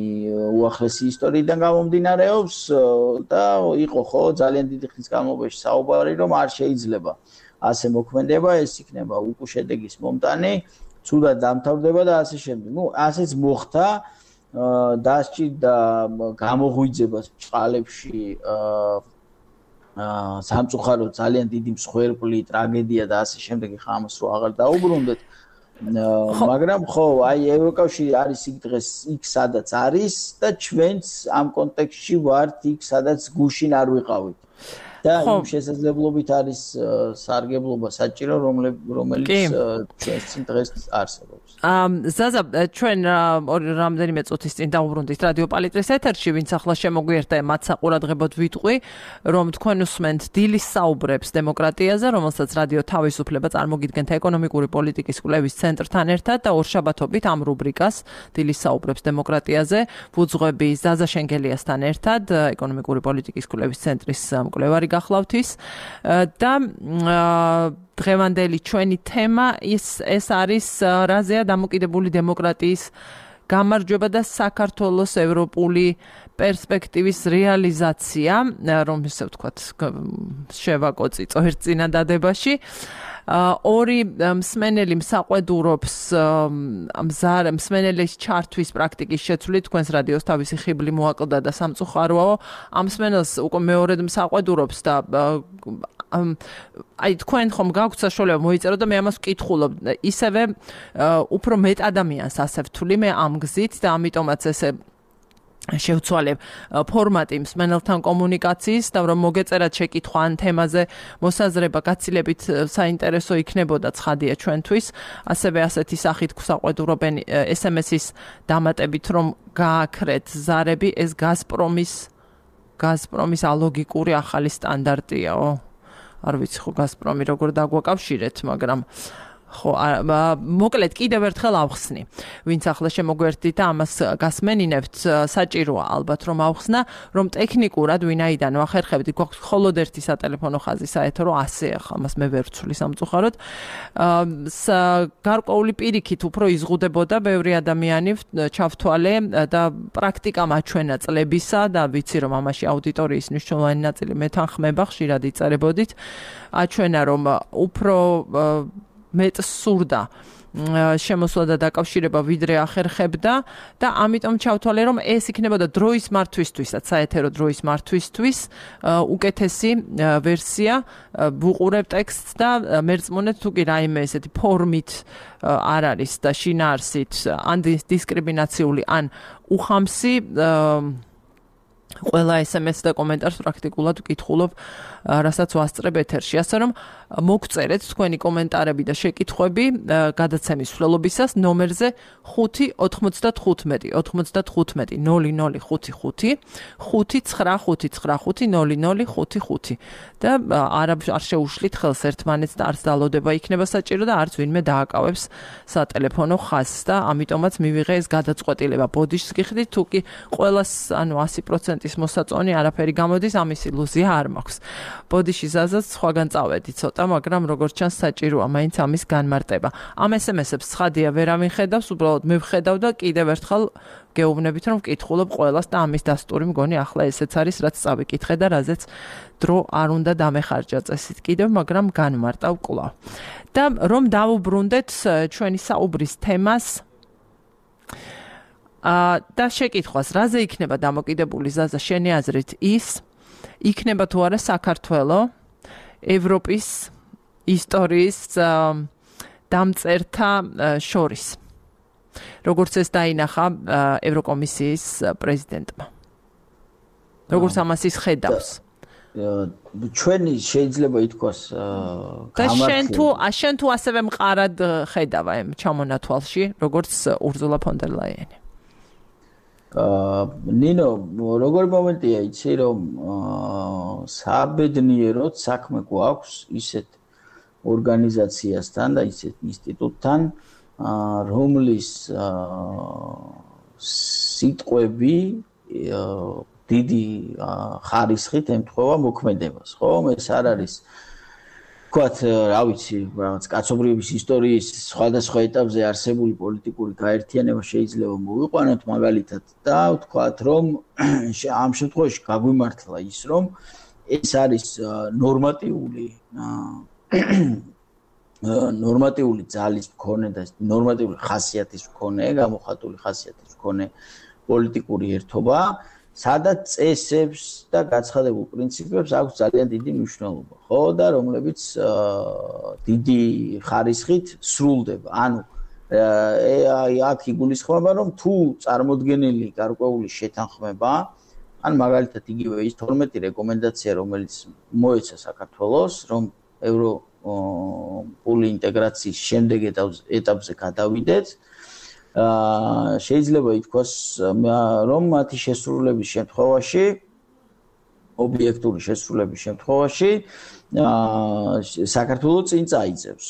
უახლესი ისტორიიდან გამომდინარეობს და იყო ხო ძალიან დიდი ხნის განმავლობაში საუბარი რომ არ შეიძლება ასე მოქმედება ეს იქნება უკუ შედეგის მომტანი ცუდად დამთავრდება და ასე შემდეგ. ნუ ასეც მოხდა დასჭირდა გამოღვიძებას წყალებში აა სამწუხაროდ ძალიან დიდი მსხვერპლი ტრაგედია და ასე შემდეგ ხა ამას რო აღარ დაუბრუნდეთ მაგრამ ხო აი ევროკავშირი არის იქ დღეს იქ სადაც არის და ჩვენც ამ კონტექსტში ვართ იქ სადაც გუშინ არ ვიყავით და იმ შესაძლებლობით არის სარგებლობა საჭირო რომელიც ჩვენს წინ დღეს არსებობს. ზაზა ჩვენ რამდენიმე წუთის წინ დაუბრუნდით რადიო პალიტრის ეთერში ვინც ახლა შემოგვიერთდა მათ საყურადღებოდ ვიტყვი რომ თქვენ უსმენთ დილის საუბრებს დემოკრატიაზე რომელსაც რადიო თავისუფლება წარმოგიდგენთ ეკონომიკური პოლიტიკის კვლევის ცენტრთან ერთად და ორშაბათობით ამ რუბრიკას დილის საუბრებს დემოკრატიაზე ვუძღვები ზაზა შენგელიასთან ერთად ეკონომიკური პოლიტიკის კვლევის ცენტრის მკვლევარი გახლავთ ის და დღევანდელი ჩვენი თემა ის ეს არის რაზეა დამოკიდებული დემოკრატიის გამარჯვება და საქართველოს ევროპული პერსპექტივის რეალიზაცია, რომ ისე ვთქვათ, შევაკოცი წვერწინადადებაში. ორი მსმენელი მსაყვედურობს მზარ მსმენელის ჩართვის პრაქტიკის შეცვლით თქვენს რადიოს თავისი ხიბლი მოაკლდა და სამწუხაროა ამ მსმენელს უკვე მეორედ მსაყვედურობს და აი თქვენ ხომ გაქვთ საშუალება მოიწეროთ და მე ამას ვკითხულობ ისევე უფრო მეტ ადამიანს ასე ვთვლი მე ამ გზით და ამიტომაც ესე შევცვალებ ფორმატი მსმენელთან კომუნიკაციის და რომ მოგეწერათ შეკითხვა ან თემაზე მოსაზრება გაცილებით საინტერესო იქნებოდა ცხადია ჩვენთვის ასევე ასეთი სახით გვსაყვედურობენ ეს ემ ეს-ის დამატებით რომ გააქრეთ ზარები ეს გაზპრომის გაზპრომის ალოგიკური ახალი სტანდარტიაო არ ვიცი ხო გაზპრომი როგორ დაგვაკავშირეთ მაგრამ ხო მოკლედ კიდევ ერთხელ ავხსნი ვინც ახლა შემოგვერთდით და ამას გასმენინებთ საჭიროა ალბათ რომ ავხსნა რომ ტექნიკურად ვინაიდან ვახერხებთ გვაქვს მხოლოდ ერთი სატელეფონო ხაზი საერთო რომ ასე ახლა ამას მე ვერ ვცვლი სამწუხაროდ გარკვეული პირიქით უფრო იზღუდებოდა ბევრი ადამიანი ჩავთვალე და პრაქტიკა მაჩვენა წლებისა და ვიცი რომ ამაში აუდიტორიის მნიშვნელოვანი ნაწილი მეთანხმება ხშირად იწერებოდით აჩვენა რომ უფრო მეტ სურდა შემოსვლა და დაკავშირება ვიდრე ახერხებდა და ამიტომ ჩავთვალე რომ ეს იქნებოდა დროის მართვისთვისაც საეთერო დროის მართვისთვის უკეთესი ვერსია ვუყურებ ტექსტს და მერწმუნეთ თუ კი რაიმე ესეთი ფორმით არ არის და შინაარსით ან დისკრიმინაციული ან უხამსი ყველა ეს ემ ეს და კომენტარს პრაქტიკულად ვკითხულობ რასაც ვასწრებ ეთერში ასე რომ მოგწერეთ თქვენი კომენტარები და შეკითხვები გადაცემის მსვლელობისას ნომერზე ხუთი ოთხმოცდათხუთმეტი ოთხმოცდათხუთმეტი ნოლი ნოლი ხუთი ხუთი ხუთი ცხრა ხუთი ცხრა ხუთი ნოლი ნოლი ხუთი ხუთი და არ არ შეუშლით ხელს ერთმანეთს და არც დალოდება იქნება საჭირო და არც ვინმე დააკავებს სატელეფონო ხაზს და ამიტომაც მივიღე ეს გადაწყვეტილება ბოდიშს გიხდით თუ კი ყველას ანუ ასი პროცენტის მოსაწონი არაფერი გამოდის ამის ილუზია არ მაქვს ბოდიში ზაზაც სხვაგან წავედი ცოტა მაგრამ როგორც ჩანს საჭიროა მაინც ამის განმარტება ამ ეს ემ ეს-ებს ცხადია ვერავინ ხედავს უბრალოდ მე ვხედავ და კიდევ ერთხელ გეუბნებით რომ ვკითხულობ ყველას და ამის დასტური მგონი ახლა ესეც არის რაც წავიკითხე და რაზეც დრო არ უნდა დამეხარჯა წესით კიდევ მაგრამ განმარტავ კვლავ და რომ დავუბრუნდეთ ჩვენი საუბრის თემას და შეკითხვას რაზე იქნება დამოკიდებული ზაზა შენი აზრით ის იქნება თუ არა საქართველო ევროპის ისტორიის დამწერთა შორის როგორც ეს დაინახა ევროკომისიის პრეზიდენტმა როგორც ამას ის ხედავს ჩვენი შეიძლება ითქვას და შენ თუ შენ თუ ასევე მყარად ხედავ ამ ჩამონათვალში როგორც ურზულა ფონ დერ ლაიენი ნინო როგორი მომენტია იცი რომ საბედნიეროდ საქმე გვაქვს ისეთ ორგანიზაციასთან და ისეთ ინსტიტუტთან რომლის სიტყვები დიდი ხარისხით ემთხვევა მოქმედებას ხო ეს არ არის ვთქვათ რა ვიცი რაღაც კაცობრიობის ისტორიის სხვადასხვა ეტაპზე არსებული პოლიტიკური გაერთიანება შეიძლება მოვიყვანოთ მაგალითად და ვთქვათ რომ ამ შემთხვევაში გაგვიმართლა ის რომ ეს არის ნორმატიული ნორმატიული ძალის მქონე და ნორმატიული ხასიათის მქონე გამოხატული ხასიათის მქონე პოლიტიკური ერთობა სადაც წესებს და გაცხადებულ პრინციპებს აქვს ძალიან დიდი მნიშვნელობა, ხო და რომლებიც დიდი ხარისხით სრულდება. ანუ აქ იგულისხმება, რომ თუ წარმოდგენილი გარკვეული შეთანხმება, ან მაგალითად იგივე ის თორმეტი რეკომენდაცია, რომელიც მოეცა საქართველოს, რომ ევროპული ინტეგრაციის შემდეგ ეტაპზე გადავიდეთ, აა შეიძლება ითქვას რომ მათი შესრულების შემთხვევაში ობიექტური შესრულების შემთხვევაში აა საქართველოს წინ წაიწევს.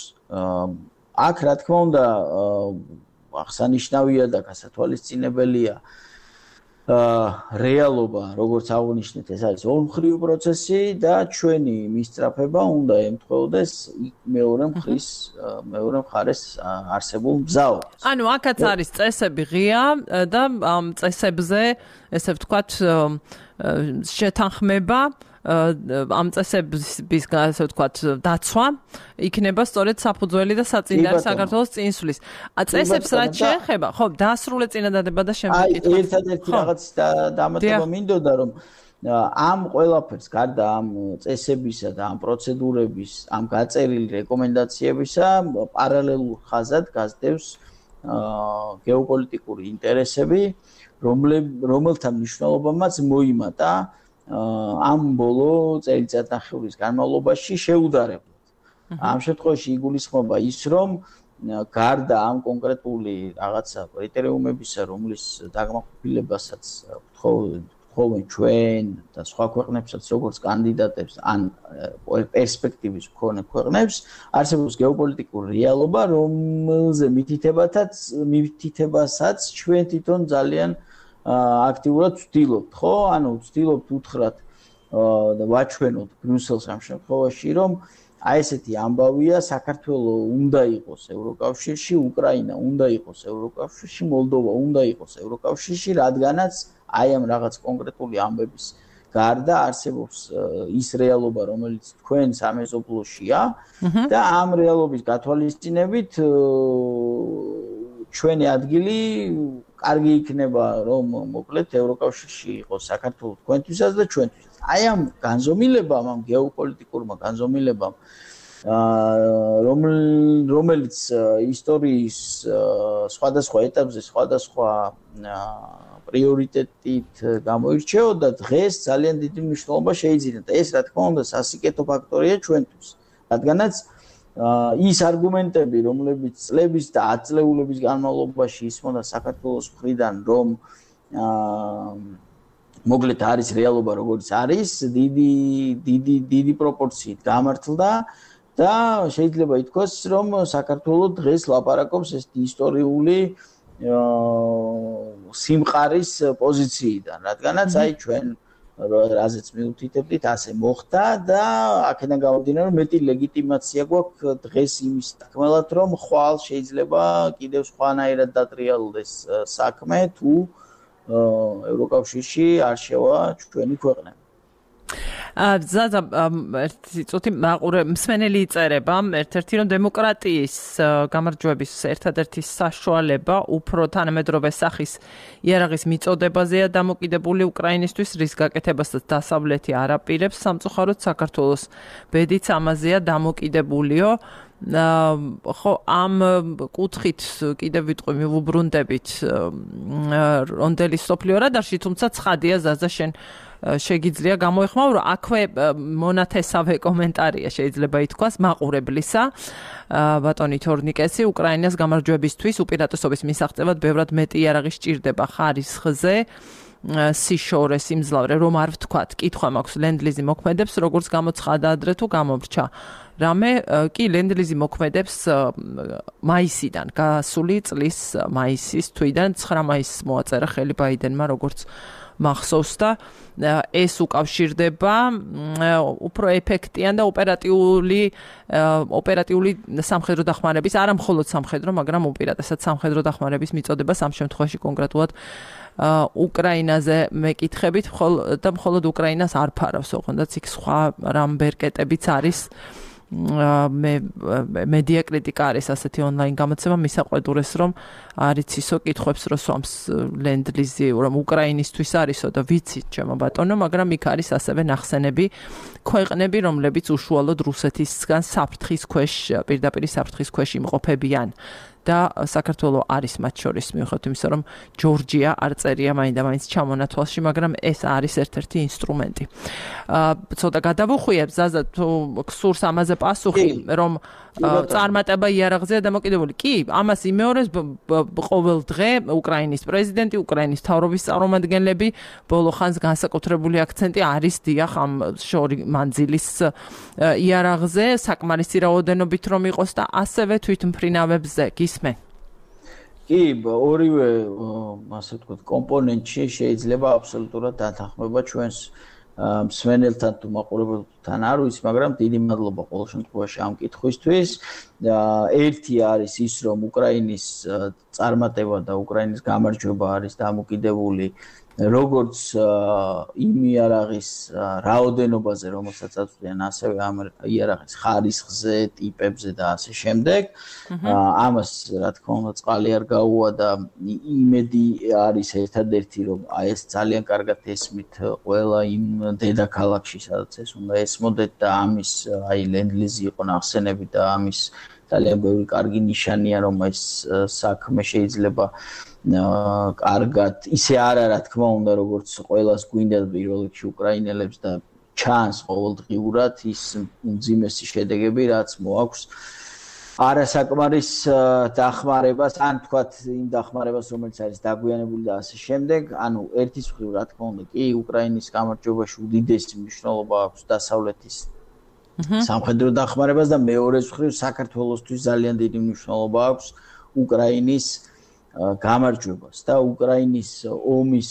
აქ რა თქმა უნდა აღსანიშნავია და გასათვალისწინებელია აა რეალობა, როგორც აღნიშნეთ, ეს არის ორმხრივი პროცესი და ჩვენი მისწრაფება უნდა ემთხვეოდეს მეორე მხრის მეორე მხარეს არსებულ მგზავრობას. ანუ აქაც არის წესები ღია და ამ წესებზე, ესე ვთქვათ, შეთანხმება ამ წესების ასე ვთქვათ დაცვა იქნება სწორედ საფუძველი და საწინდარი საქართველოს წინსვლის. წესებს რაც შეეხება, ხო, დაასრულე წინადადება და შემდეგ კითხვა. აი, ერთადერთი რაღაც დამატება მინდოდა რომ ამ ყველაფერს გარდა ამ წესებისა და ამ პროცედურების, ამ გაწერილი რეკომენდაციებისა პარალელურ ხაზად გასდევს გეოპოლიტიკური ინტერესები, რომელთა მნიშვნელობამაც მოიმატა ამ ბოლო წელიწადნახევრის განმავლობაში შეუდარებლად. ამ შემთხვევაში იგულისხმება ის, რომ გარდა ამ კონკრეტული რაღაცა კრიტერიუმებისა, რომლის დაგმაყოფილებასაც ხოლმე ჩვენ და სხვა ქვეყნებსაც როგორც კანდიდატებს ან პერსპექტივის მქონე ქვეყნებს არსებობს გეოპოლიტიკური რეალობა, რომელზე მითითებათაც მითითებასაც ჩვენ თვითონ ძალიან აქტიურად ვცდილობთ, ხო? ანუ ვცდილობთ უთხრათ და ვაჩვენოთ ბრიუსელს ამ შემთხვევაში, რომ აი ესეთი ამბავია, საქართველო უნდა იყოს ევროკავშირში, უკრაინა უნდა იყოს ევროკავშირში, მოლდოვა უნდა იყოს ევროკავშირში, რადგანაც აი ამ რაღაც კონკრეტული ამბების გარდა არსებობს ის რეალობა, რომელიც თქვენ სამეზობლოშია და ამ რეალობის გათვალისწინებით ჩვენი ადგილი კარგი იქნება, რომ მოკლედ ევროკავშირში იყოს საქართველო თქვენთვისაც და ჩვენთვისაც. აი ამ განზომილებამ, ამ გეოპოლიტიკურმა განზომილებამ, რომელიც ისტორიის სხვადასხვა ეტაპზე სხვადასხვა პრიორიტეტით გამოირჩეოდა, დღეს ძალიან დიდი მნიშვნელობა შეიძინა და ეს რა თქმა უნდა სასიკეთო ფაქტორია ჩვენთვის, რადგანაც ის არგუმენტები, რომლებიც წლების და ათწლეულების განმავლობაში ისმოდა საქართველოს მხრიდან, რომ მოკლედ არის რეალობა როგორც არის, დიდი დიდი დიდი პროპორციით გამართლდა და შეიძლება ითქვას, რომ საქართველო დღეს ლაპარაკობს ეს ისტორიული სიმყარის პოზიციიდან, რადგანაც აი ჩვენ რაზეც მიუთითებდით, ასე მოხდა და აქედან გამომდინარე, რომ მეტი ლეგიტიმაცია გვაქვს დღეს იმის თქმელად, რომ ხვალ შეიძლება კიდევ სხვანაირად დატრიალდეს საქმე, თუ ევროკავშირში არ შევა ჩვენი ქვეყნები. ზაზა ერთი წუთი მაყურე მსმენელი იწერება ერთ-ერთი რომ დემოკრატიის გამარჯვების ერთადერთი საშუალება უფრო თანამედროვე სახის იარაღის მიწოდებაზეა დამოკიდებული უკრაინისთვის, რის გაკეთებასაც დასავლეთი არ აპირებს, სამწუხაროდ საქართველოს ბედიც ამაზეა დამოკიდებულიო. ხო ამ კუთხით კიდევ ვიტყვი მივუბრუნდებით რონდელის სოფლიო რადარში, თუმცა ცხადია ზაზა შენ შეგიძლია გამოეხმაურო, აქვე მონათესავე კომენტარია შეიძლება ითქვას მაყურებლისა ბატონი თორნიკესი, უკრაინას გამარჯვებისთვის უპირატესობის მისაღწევად ბევრად მეტი იარაღი სჭირდება ხარისხზე, სიშორე, სიმძლავრე, რომ არ ვთქვათ, კითხვა მაქვს ლენდლიზი მოქმედებს, როგორც გამოცხადა ადრე თუ გამორჩა. რამე კი ლენდლიზი მოქმედებს მაისიდან, გასული წლის მაისის თვიდან ცხრა მაისს მოაწერა ხელი ბაიდენმა, როგორც მახსოვს და ეს უკავშირდება უფრო ეფექტიან და ოპერატიული ოპერატიული სამხედრო დახმარების, არა მხოლოდ სამხედრო, მაგრამ უპირატესად სამხედრო დახმარების მიწოდებას ამ შემთხვევაში კონკრეტულად უკრაინაზე მეკითხებით, და მხოლოდ უკრაინას არ ფარავს, ოღონდაც იქ სხვა რამბერკეტებიც არის. მე მედია კრიტიკა არის ასეთი ონლაინ გამოცემა, მისაყვედურეს რომ არ იცისო კითხვებს რო სვამს ლენდლიზი, რომ უკრაინისთვის არისო და ვიცით ჩემო ბატონო, მაგრამ იქ არის ასევე ნახსენები ქვეყნები, რომლებიც უშუალოდ რუსეთისგან საფრთხის ქვეშ, პირდაპირ საფრთხის ქვეშ იმყოფებიან. და საქართველო არის მათ შორის, მიუხედავად იმისა, რომ ჯორჯია არ წერია მაინდა-მაინც ჩამონათვალში, მაგრამ ეს არის ერთ-ერთი ინსტრუმენტი. ცოტა გადავუხვიებ, ზაზა, თუ გსურს ამაზე პასუხი, რომ წარმატება იარაღზეა დამოკიდებული. კი, ამას იმეორებს ყოველ დღე უკრაინის პრეზიდენტი, უკრაინის მთავრობის წარმომადგენლები, ბოლო ხანს განსაკუთრებული აქცენტი არის დიახ ამ შორი მანძილის იარაღზე, საკმარისი რაოდენობით რომ იყოს და ასევე თვითმფრინავებზე. გისმენ? კი, ორივე, ასე ვთქვათ, კომპონენტში შეიძლება აბსოლუტურად დათანხმება ჩვენს მსმენელთან თუ მაყურებელთან არ ვიცი, მაგრამ დიდი მადლობა ყოველ შემთხვევაში ამ კითხვისთვის. ერთი არის ის, რომ უკრაინის წარმატება და უკრაინის გამარჯვება არის დამოკიდებული როგორც იმ იარაღის რაოდენობაზე, რომელსაც აწვდიან, ასევე ამ იარაღის ხარისხზე, ტიპებზე და ასე შემდეგ. ამას, რა თქმა უნდა, წყალი არ გაუვა და იმედი არის ერთადერთი, რომ აი ეს ძალიან კარგად ესმით ყველა იმ დედაქალაქში, სადაც ეს უნდა ესმოდეთ და ამის აი ლენდ-ლიზი იყო ნახსენები და ამის ძალიან ბევრი კარგი ნიშანია, რომ ეს საქმე შეიძლება კარგად ისე არა რა თქმა უნდა როგორც ყველას გვინდა პირველ რიგში უკრაინელებს და ჩანს ყოველდღიურად ის უმძიმესი შედეგები რაც მოაქვს არასაკმარის დახმარებას ან თქვათ იმ დახმარებას რომელიც არის დაგვიანებული და ასე შემდეგ ანუ ერთის მხრივ რა თქმა უნდა კი უკრაინის გამარჯვებაში უდიდესი მნიშვნელობა აქვს დასავლეთის სამხედრო დახმარებას და მეორეს მხრივ საქართველოსთვის ძალიან დიდი მნიშვნელობა აქვს უკრაინის გამარჯვებას და უკრაინის ომის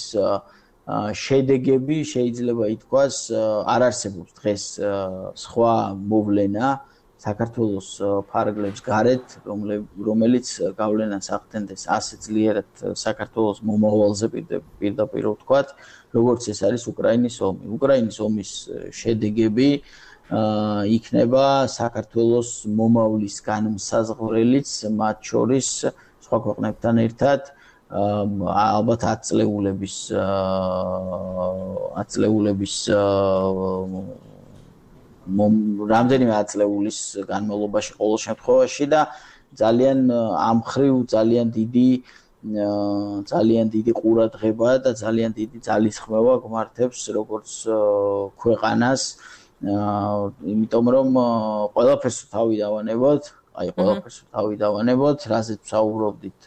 შედეგები შეიძლება ითქვას არ არსებობს დღეს სხვა მოვლენა საქართველოს ფარგლებს გარეთ რომელიც გავლენას ახდენდეს ასე ძლიერად საქართველოს მომავალზე პირდაპირ ვთქვათ როგორც ეს არის უკრაინის ომი უკრაინის ომის შედეგები იქნება საქართველოს მომავლის განმსაზღვრელიც მათ შორის სხვა ქვეყნებთან ერთად ალბათ ათწლეულების ათწლეულების რამდენიმე ათწლეულის განმავლობაში ყოველ შემთხვევაში და ძალიან ამხრივ ძალიან დიდი ძალიან დიდი ყურადღება და ძალიან დიდი ძალისხმევა გვმართებს როგორც ქვეყანას იმიტომ რომ ყველაფერს თავი დავანებოთ აი ყველაფერს თავი დავანებოთ, რაზეც ვსაუბრობდით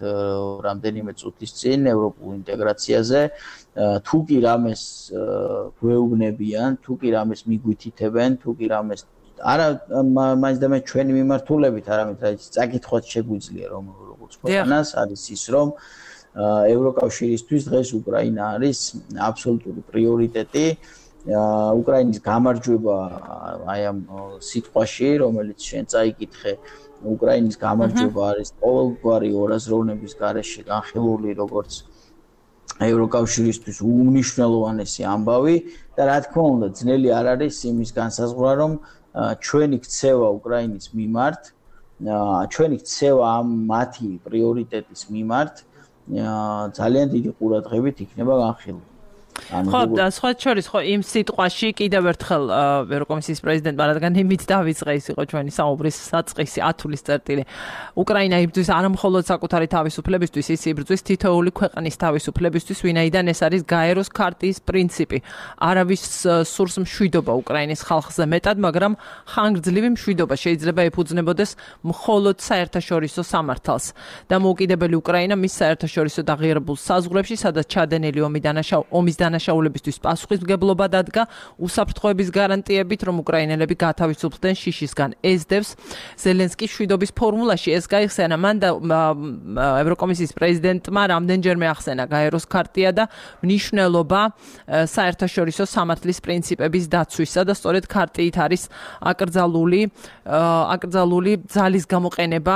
რამდენიმე წუთის წინ ევროპულ ინტეგრაციაზე, თუ კი რამეს გვეუბნებიან, თუ კი რამეს მიგვითითებენ, თუ კი რამეს არა მაინც და მე ჩვენი მიმართულებით, არამედ რაიც წაკითხვაც შეგვიძლია რომ როგორც ქვეყანას არის ის რომ ევროკავშირისთვის დღეს უკრაინა არის აბსოლუტური პრიორიტეტი. უკრაინის გამარჯვება აი ამ სიტყვაში, რომელიც შენ წაიკითხე, უკრაინის გამარჯვება არის ყოველგვარი ორაზროვნების გარეშე განხილული როგორც ევროკავშირისთვის უმნიშვნელოვანესი ამბავი და რა თქმა უნდა ძნელი არ არის იმის განსაზღვრა, რომ ჩვენი ქცევა უკრაინის მიმართ, ჩვენი ქცევა ამ მათი პრიორიტეტის მიმართ ძალიან დიდი ყურადღებით იქნება განხილული. ხო, და სხვა შორის ხო იმ სიტყვაში კიდევ ერთხელ ევროკომისიის პრეზიდენტმა რადგან იმით დავიწყე ის იყო ჩვენი საუბრის საწყისი ათulis წერტილი. უკრაინა იბრძვის არა მხოლოდ საკუთარი თავისუფლებისთვის, ის იბრძვის თითოეული ქვეყნის თავისუფლებისთვის, ვინაიდან ეს არის გაეროს ქარტიის პრინციპი. არავის სურს მშვიდობა უკრაინის ხალხზე მეტად, მაგრამ ხანგრძლივი მშვიდობა შეიძლება ეფუძნებოდეს მხოლოდ საერთაშორისო სამართალს. დამოუკიდებელი უკრაინა მის საერთაშორისო დაღიარებულ საზღვრებში, სადაც ჩადენილი ომი დანაშაულ ომის დანაშაულებისთვის პასუხისმგებლობა დადგა უსაფრთხოების გარანტიებით, რომ უკრაინელები გათავისუფლდნენ შიშისგან. ეს დევს ზელენსკის მშვიდობის ფორმულაში. ეს გაიხსენა მან და ევროკომისიის პრეზიდენტმა რამდენჯერმე ახსენა გაეროს ქარტია და მნიშვნელობა საერთაშორისო სამართლის პრინციპების დაცვისა და სწორედ ქარტიით არის აკრძალული აკრძალული ძალის გამოყენება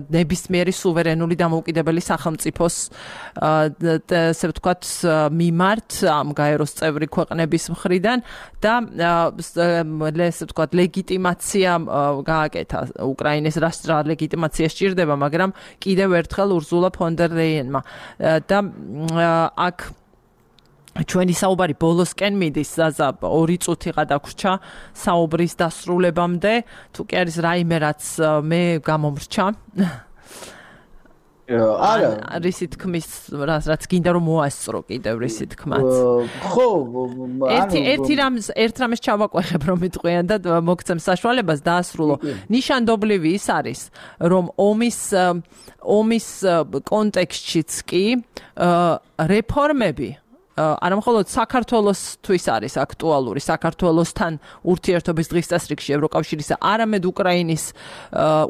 ნებისმიერი სუვერენული დამოუკიდებელი სახელმწიფოს ესე ვთქვათ მიმართ ამ გაეროს წევრი ქვეყნების მხრიდან და ესე ვთქვათ ლეგიტიმაცია გააკეთა უკრაინის რა ლეგიტიმაცია სჭირდება, მაგრამ კიდევ ერთხელ ურზულა ფონ დერ ლეიენმა და აქ ჩვენი საუბარი ბოლოსკენ მიდის, ზაზა ორი წუთი გადაგვრჩა საუბრის დასრულებამდე, თუ კი არის რაიმე რაც მე გამომრჩა არა რისი თქმის რაც გინდა რომ მოასწრო კიდევ რისი თქმაც ხო ერთი ერთი რამს ერთ რამს ჩავაყვეხებ რომ მიტყვიან და მოგცემ საშუალებას დაასრულო ნიშანდობლივი ის არის რომ ომის ომის კონტექსტშიც კი რეფორმები არა მხოლოდ საქართველოსთვის არის აქტუალური საქართველოსთან ურთიერთობის დღის წესრიგში ევროკავშირისა, არამედ უკრაინის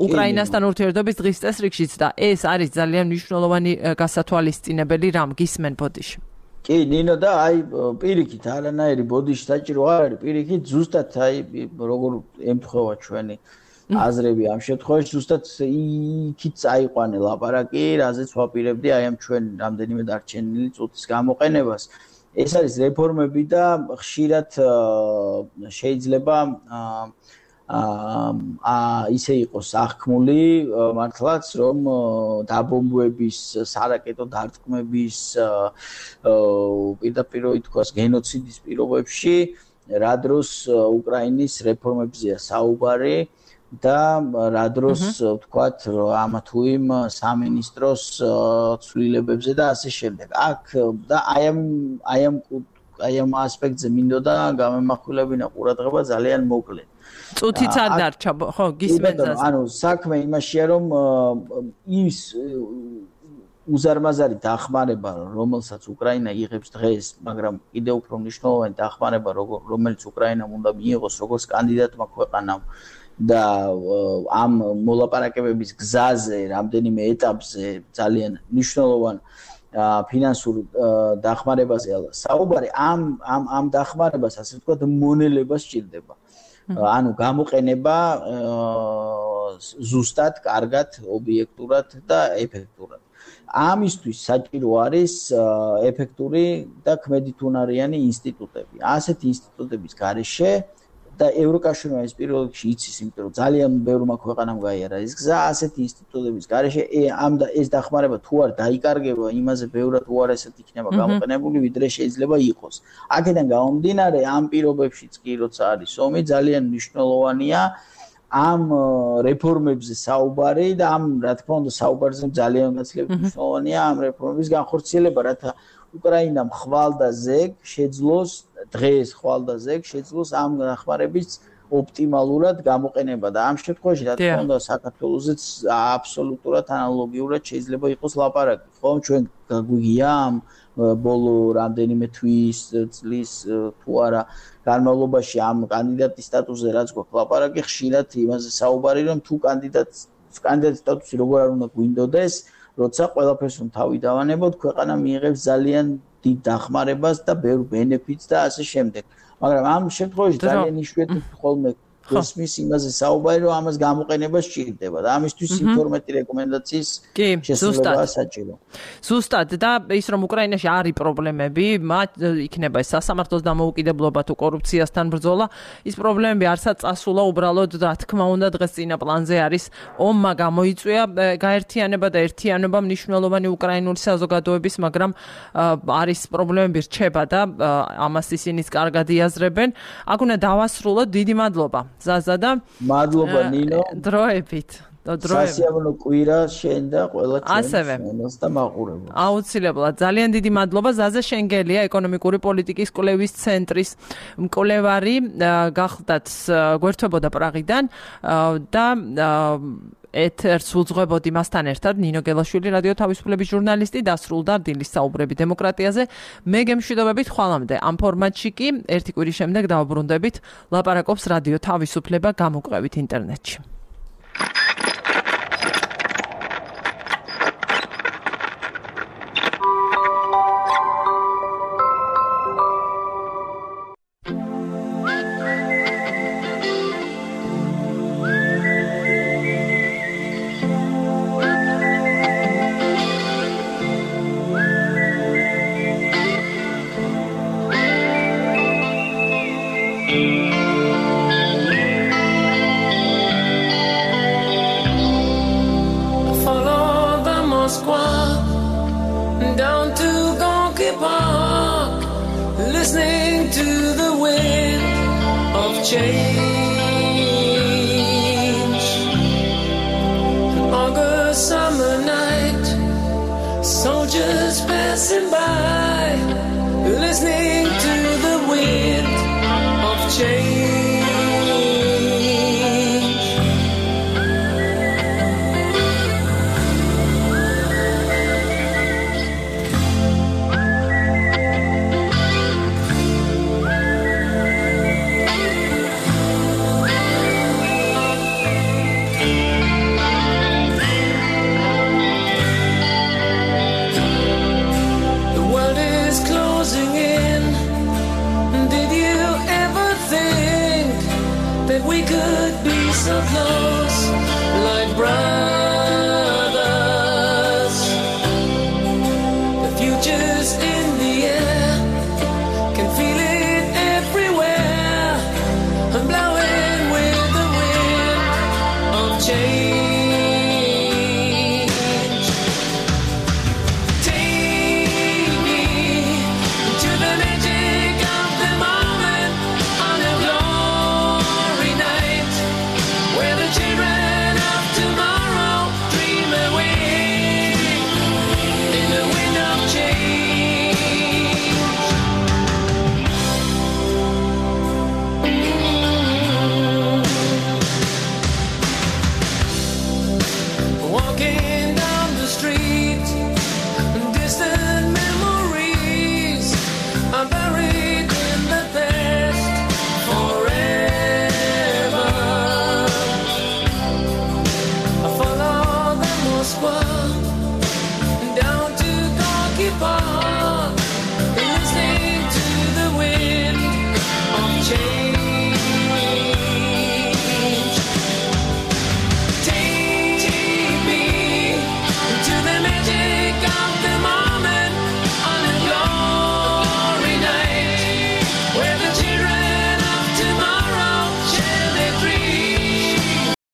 უკრაინასთან ურთიერთობის დღის წესრიგშიც და ეს არის ძალიან მნიშვნელოვანი გასათვალისწინებელი რამ გისმენ ბოდიში. კი, ნინო და აი პირიქით არანაირი ბოდიში საჭირო არ არის, პირიქით ზუსტად აი როგორ ემთხვევა ჩვენი აზრები ამ შემთხვევაში ზუსტად იქით წაიყვანე ლაპარაკი, რაზეც ვაპირებდი აი ამ ჩვენ რამდენიმე დარჩენილი წუთის გამოყენებას. ეს არის რეფორმები და ხშირად შეიძლება აა ისე იყოს აღქმული მართლაც რომ დაბომბვების, სარაკეტო დარტყმების პირდაპირ ითქვას გენოციდის პირობებში რა დროს უკრაინის რეფორმებზეა საუბარი და რა დროს ვთქვათ ამა თუ იმ სამინისტროს ცვლილებებზე და ასე შემდეგ. აქ და აი ამ აი ამ აი ამ ასპექტზე მინდოდა გამემახვილებინა ყურადღება ძალიან მოკლედ. წუთიც არ დარჩა, ხო, გისმენთ. ანუ საქმე იმაშია რომ ის უზარმაზარი დახმარება, რომელსაც უკრაინა იღებს დღეს, მაგრამ კიდევ უფრო მნიშვნელოვანი დახმარება, რომელიც უკრაინამ უნდა მიიღოს როგორც კანდიდატმა ქვეყანამ და ამ მოლაპარაკებების გზაზე, რამდენიმე ეტაპზე ძალიან მნიშვნელოვან ფინანსურ დახმარებაზე საუბარი, ამ ამ ამ დახმარებას, ასე ვთქვათ, მონელება სჭირდება. ანუ გამოყენება ზუსტად, კარგად, ობიექტურად და ეფექტურად. ამისთვის საჭირო არის ეფექტური და ქმედითუნარიანი ინსტიტუტები. ასეთი ინსტიტუტების გარეშე და ევროკავშირმა ეს პირველ რიგში იცის, იმიტომ რომ ძალიან ბევრმა ქვეყანამ გაიარა ეს გზა, ასეთი ინსტიტუტების გარეშე ამ და ეს დახმარება თუ არ დაიკარგება, იმაზე ბევრად უარესად იქნება გამოყენებული, ვიდრე შეიძლება იყოს. აქედან გამომდინარე, ამ პირობებშიც კი როცა არის ომი, ძალიან მნიშვნელოვანია ამ რეფორმებზე საუბარი და ამ რა თქმა უნდა საუბარზე ძალიან გაცილებით მნიშვნელოვანია ამ რეფორმების განხორციელება, რათა უკრაინამ ხვალ და ზეგ შეძლოს დღეს ხვალ და ზეგ შეძლოს ამ დახმარების ოპტიმალურად გამოყენება და ამ შემთხვევაში რა თქმა უნდა საქართველოსაც აბსოლუტურად ანალოგიურად შეიძლება იყოს ლაპარაკი, ხო? ჩვენ გაგვიგია ამ ბოლო რამდენიმე თვის წლის თუ არა განმავლობაში ამ კანდიდატის სტატუსზე რაც გვაქვს ლაპარაკი, ხშირად იმაზე საუბარი რომ თუ კანდიდატს კანდიდატის სტატუსი როგორ არ უნდა გვინდოდეს, როცა ყველაფერს რომ თავი დავანებოთ, ქვეყანა მიიღებს ძალიან დიდ დახმარებას და ბევრ ბენეფიტს და ასე შემდეგ. მაგრამ ამ შემთხვევაში ძალიან იშვიათად ხოლმე გესმის იმაზე საუბარი, რომ ამას გამოყენება სჭირდება და ამისთვის ინფორმატი რეკომენდაციის შესრულება საჭირო. ზუსტად და ის რომ უკრაინაში არის პრობლემები, მათ იქნება ეს სასამართლოს დამოუკიდებლობა თუ კორუფციასთან ბრძოლა, ის პრობლემები არცაც წასულა, უბრალოდ რა თქმა უნდა დღეს წინა პლანზე არის ომმა გამოიწვია გაერთიანება და ერთიანობა მნიშვნელოვანი უკრაინული საზოგადოების, მაგრამ არის პრობლემები რჩება და ამას ისინიც კარგად იაზრებენ. აქ უნდა დავასრულოთ, დიდი მადლობა. ზაზა და მადლობა ნინო დროებით სასიამოვნო კვირა შენ და ყველა ჩვენს და მაყურებელს აუცილებლად ძალიან დიდი მადლობა ზაზა შენგელია ეკონომიკური პოლიტიკის კვლევის ცენტრის მკვლევარი გახდათ გვერდთვებოდა პრაღიდან და ეთერს უძღვებოდი მასთან ერთად ნინო გელაშვილი რადიო თავისუფლების ჟურნალისტი დასრულდა დილის საუბრები დემოკრატიაზე მე გემშვიდობებით ხვალამდე ამ ფორმატში კი ერთი კვირის შემდეგ დავუბრუნდებით ლაპარაკობს რადიო თავისუფლება გამოკვლევით ინტერნეტში change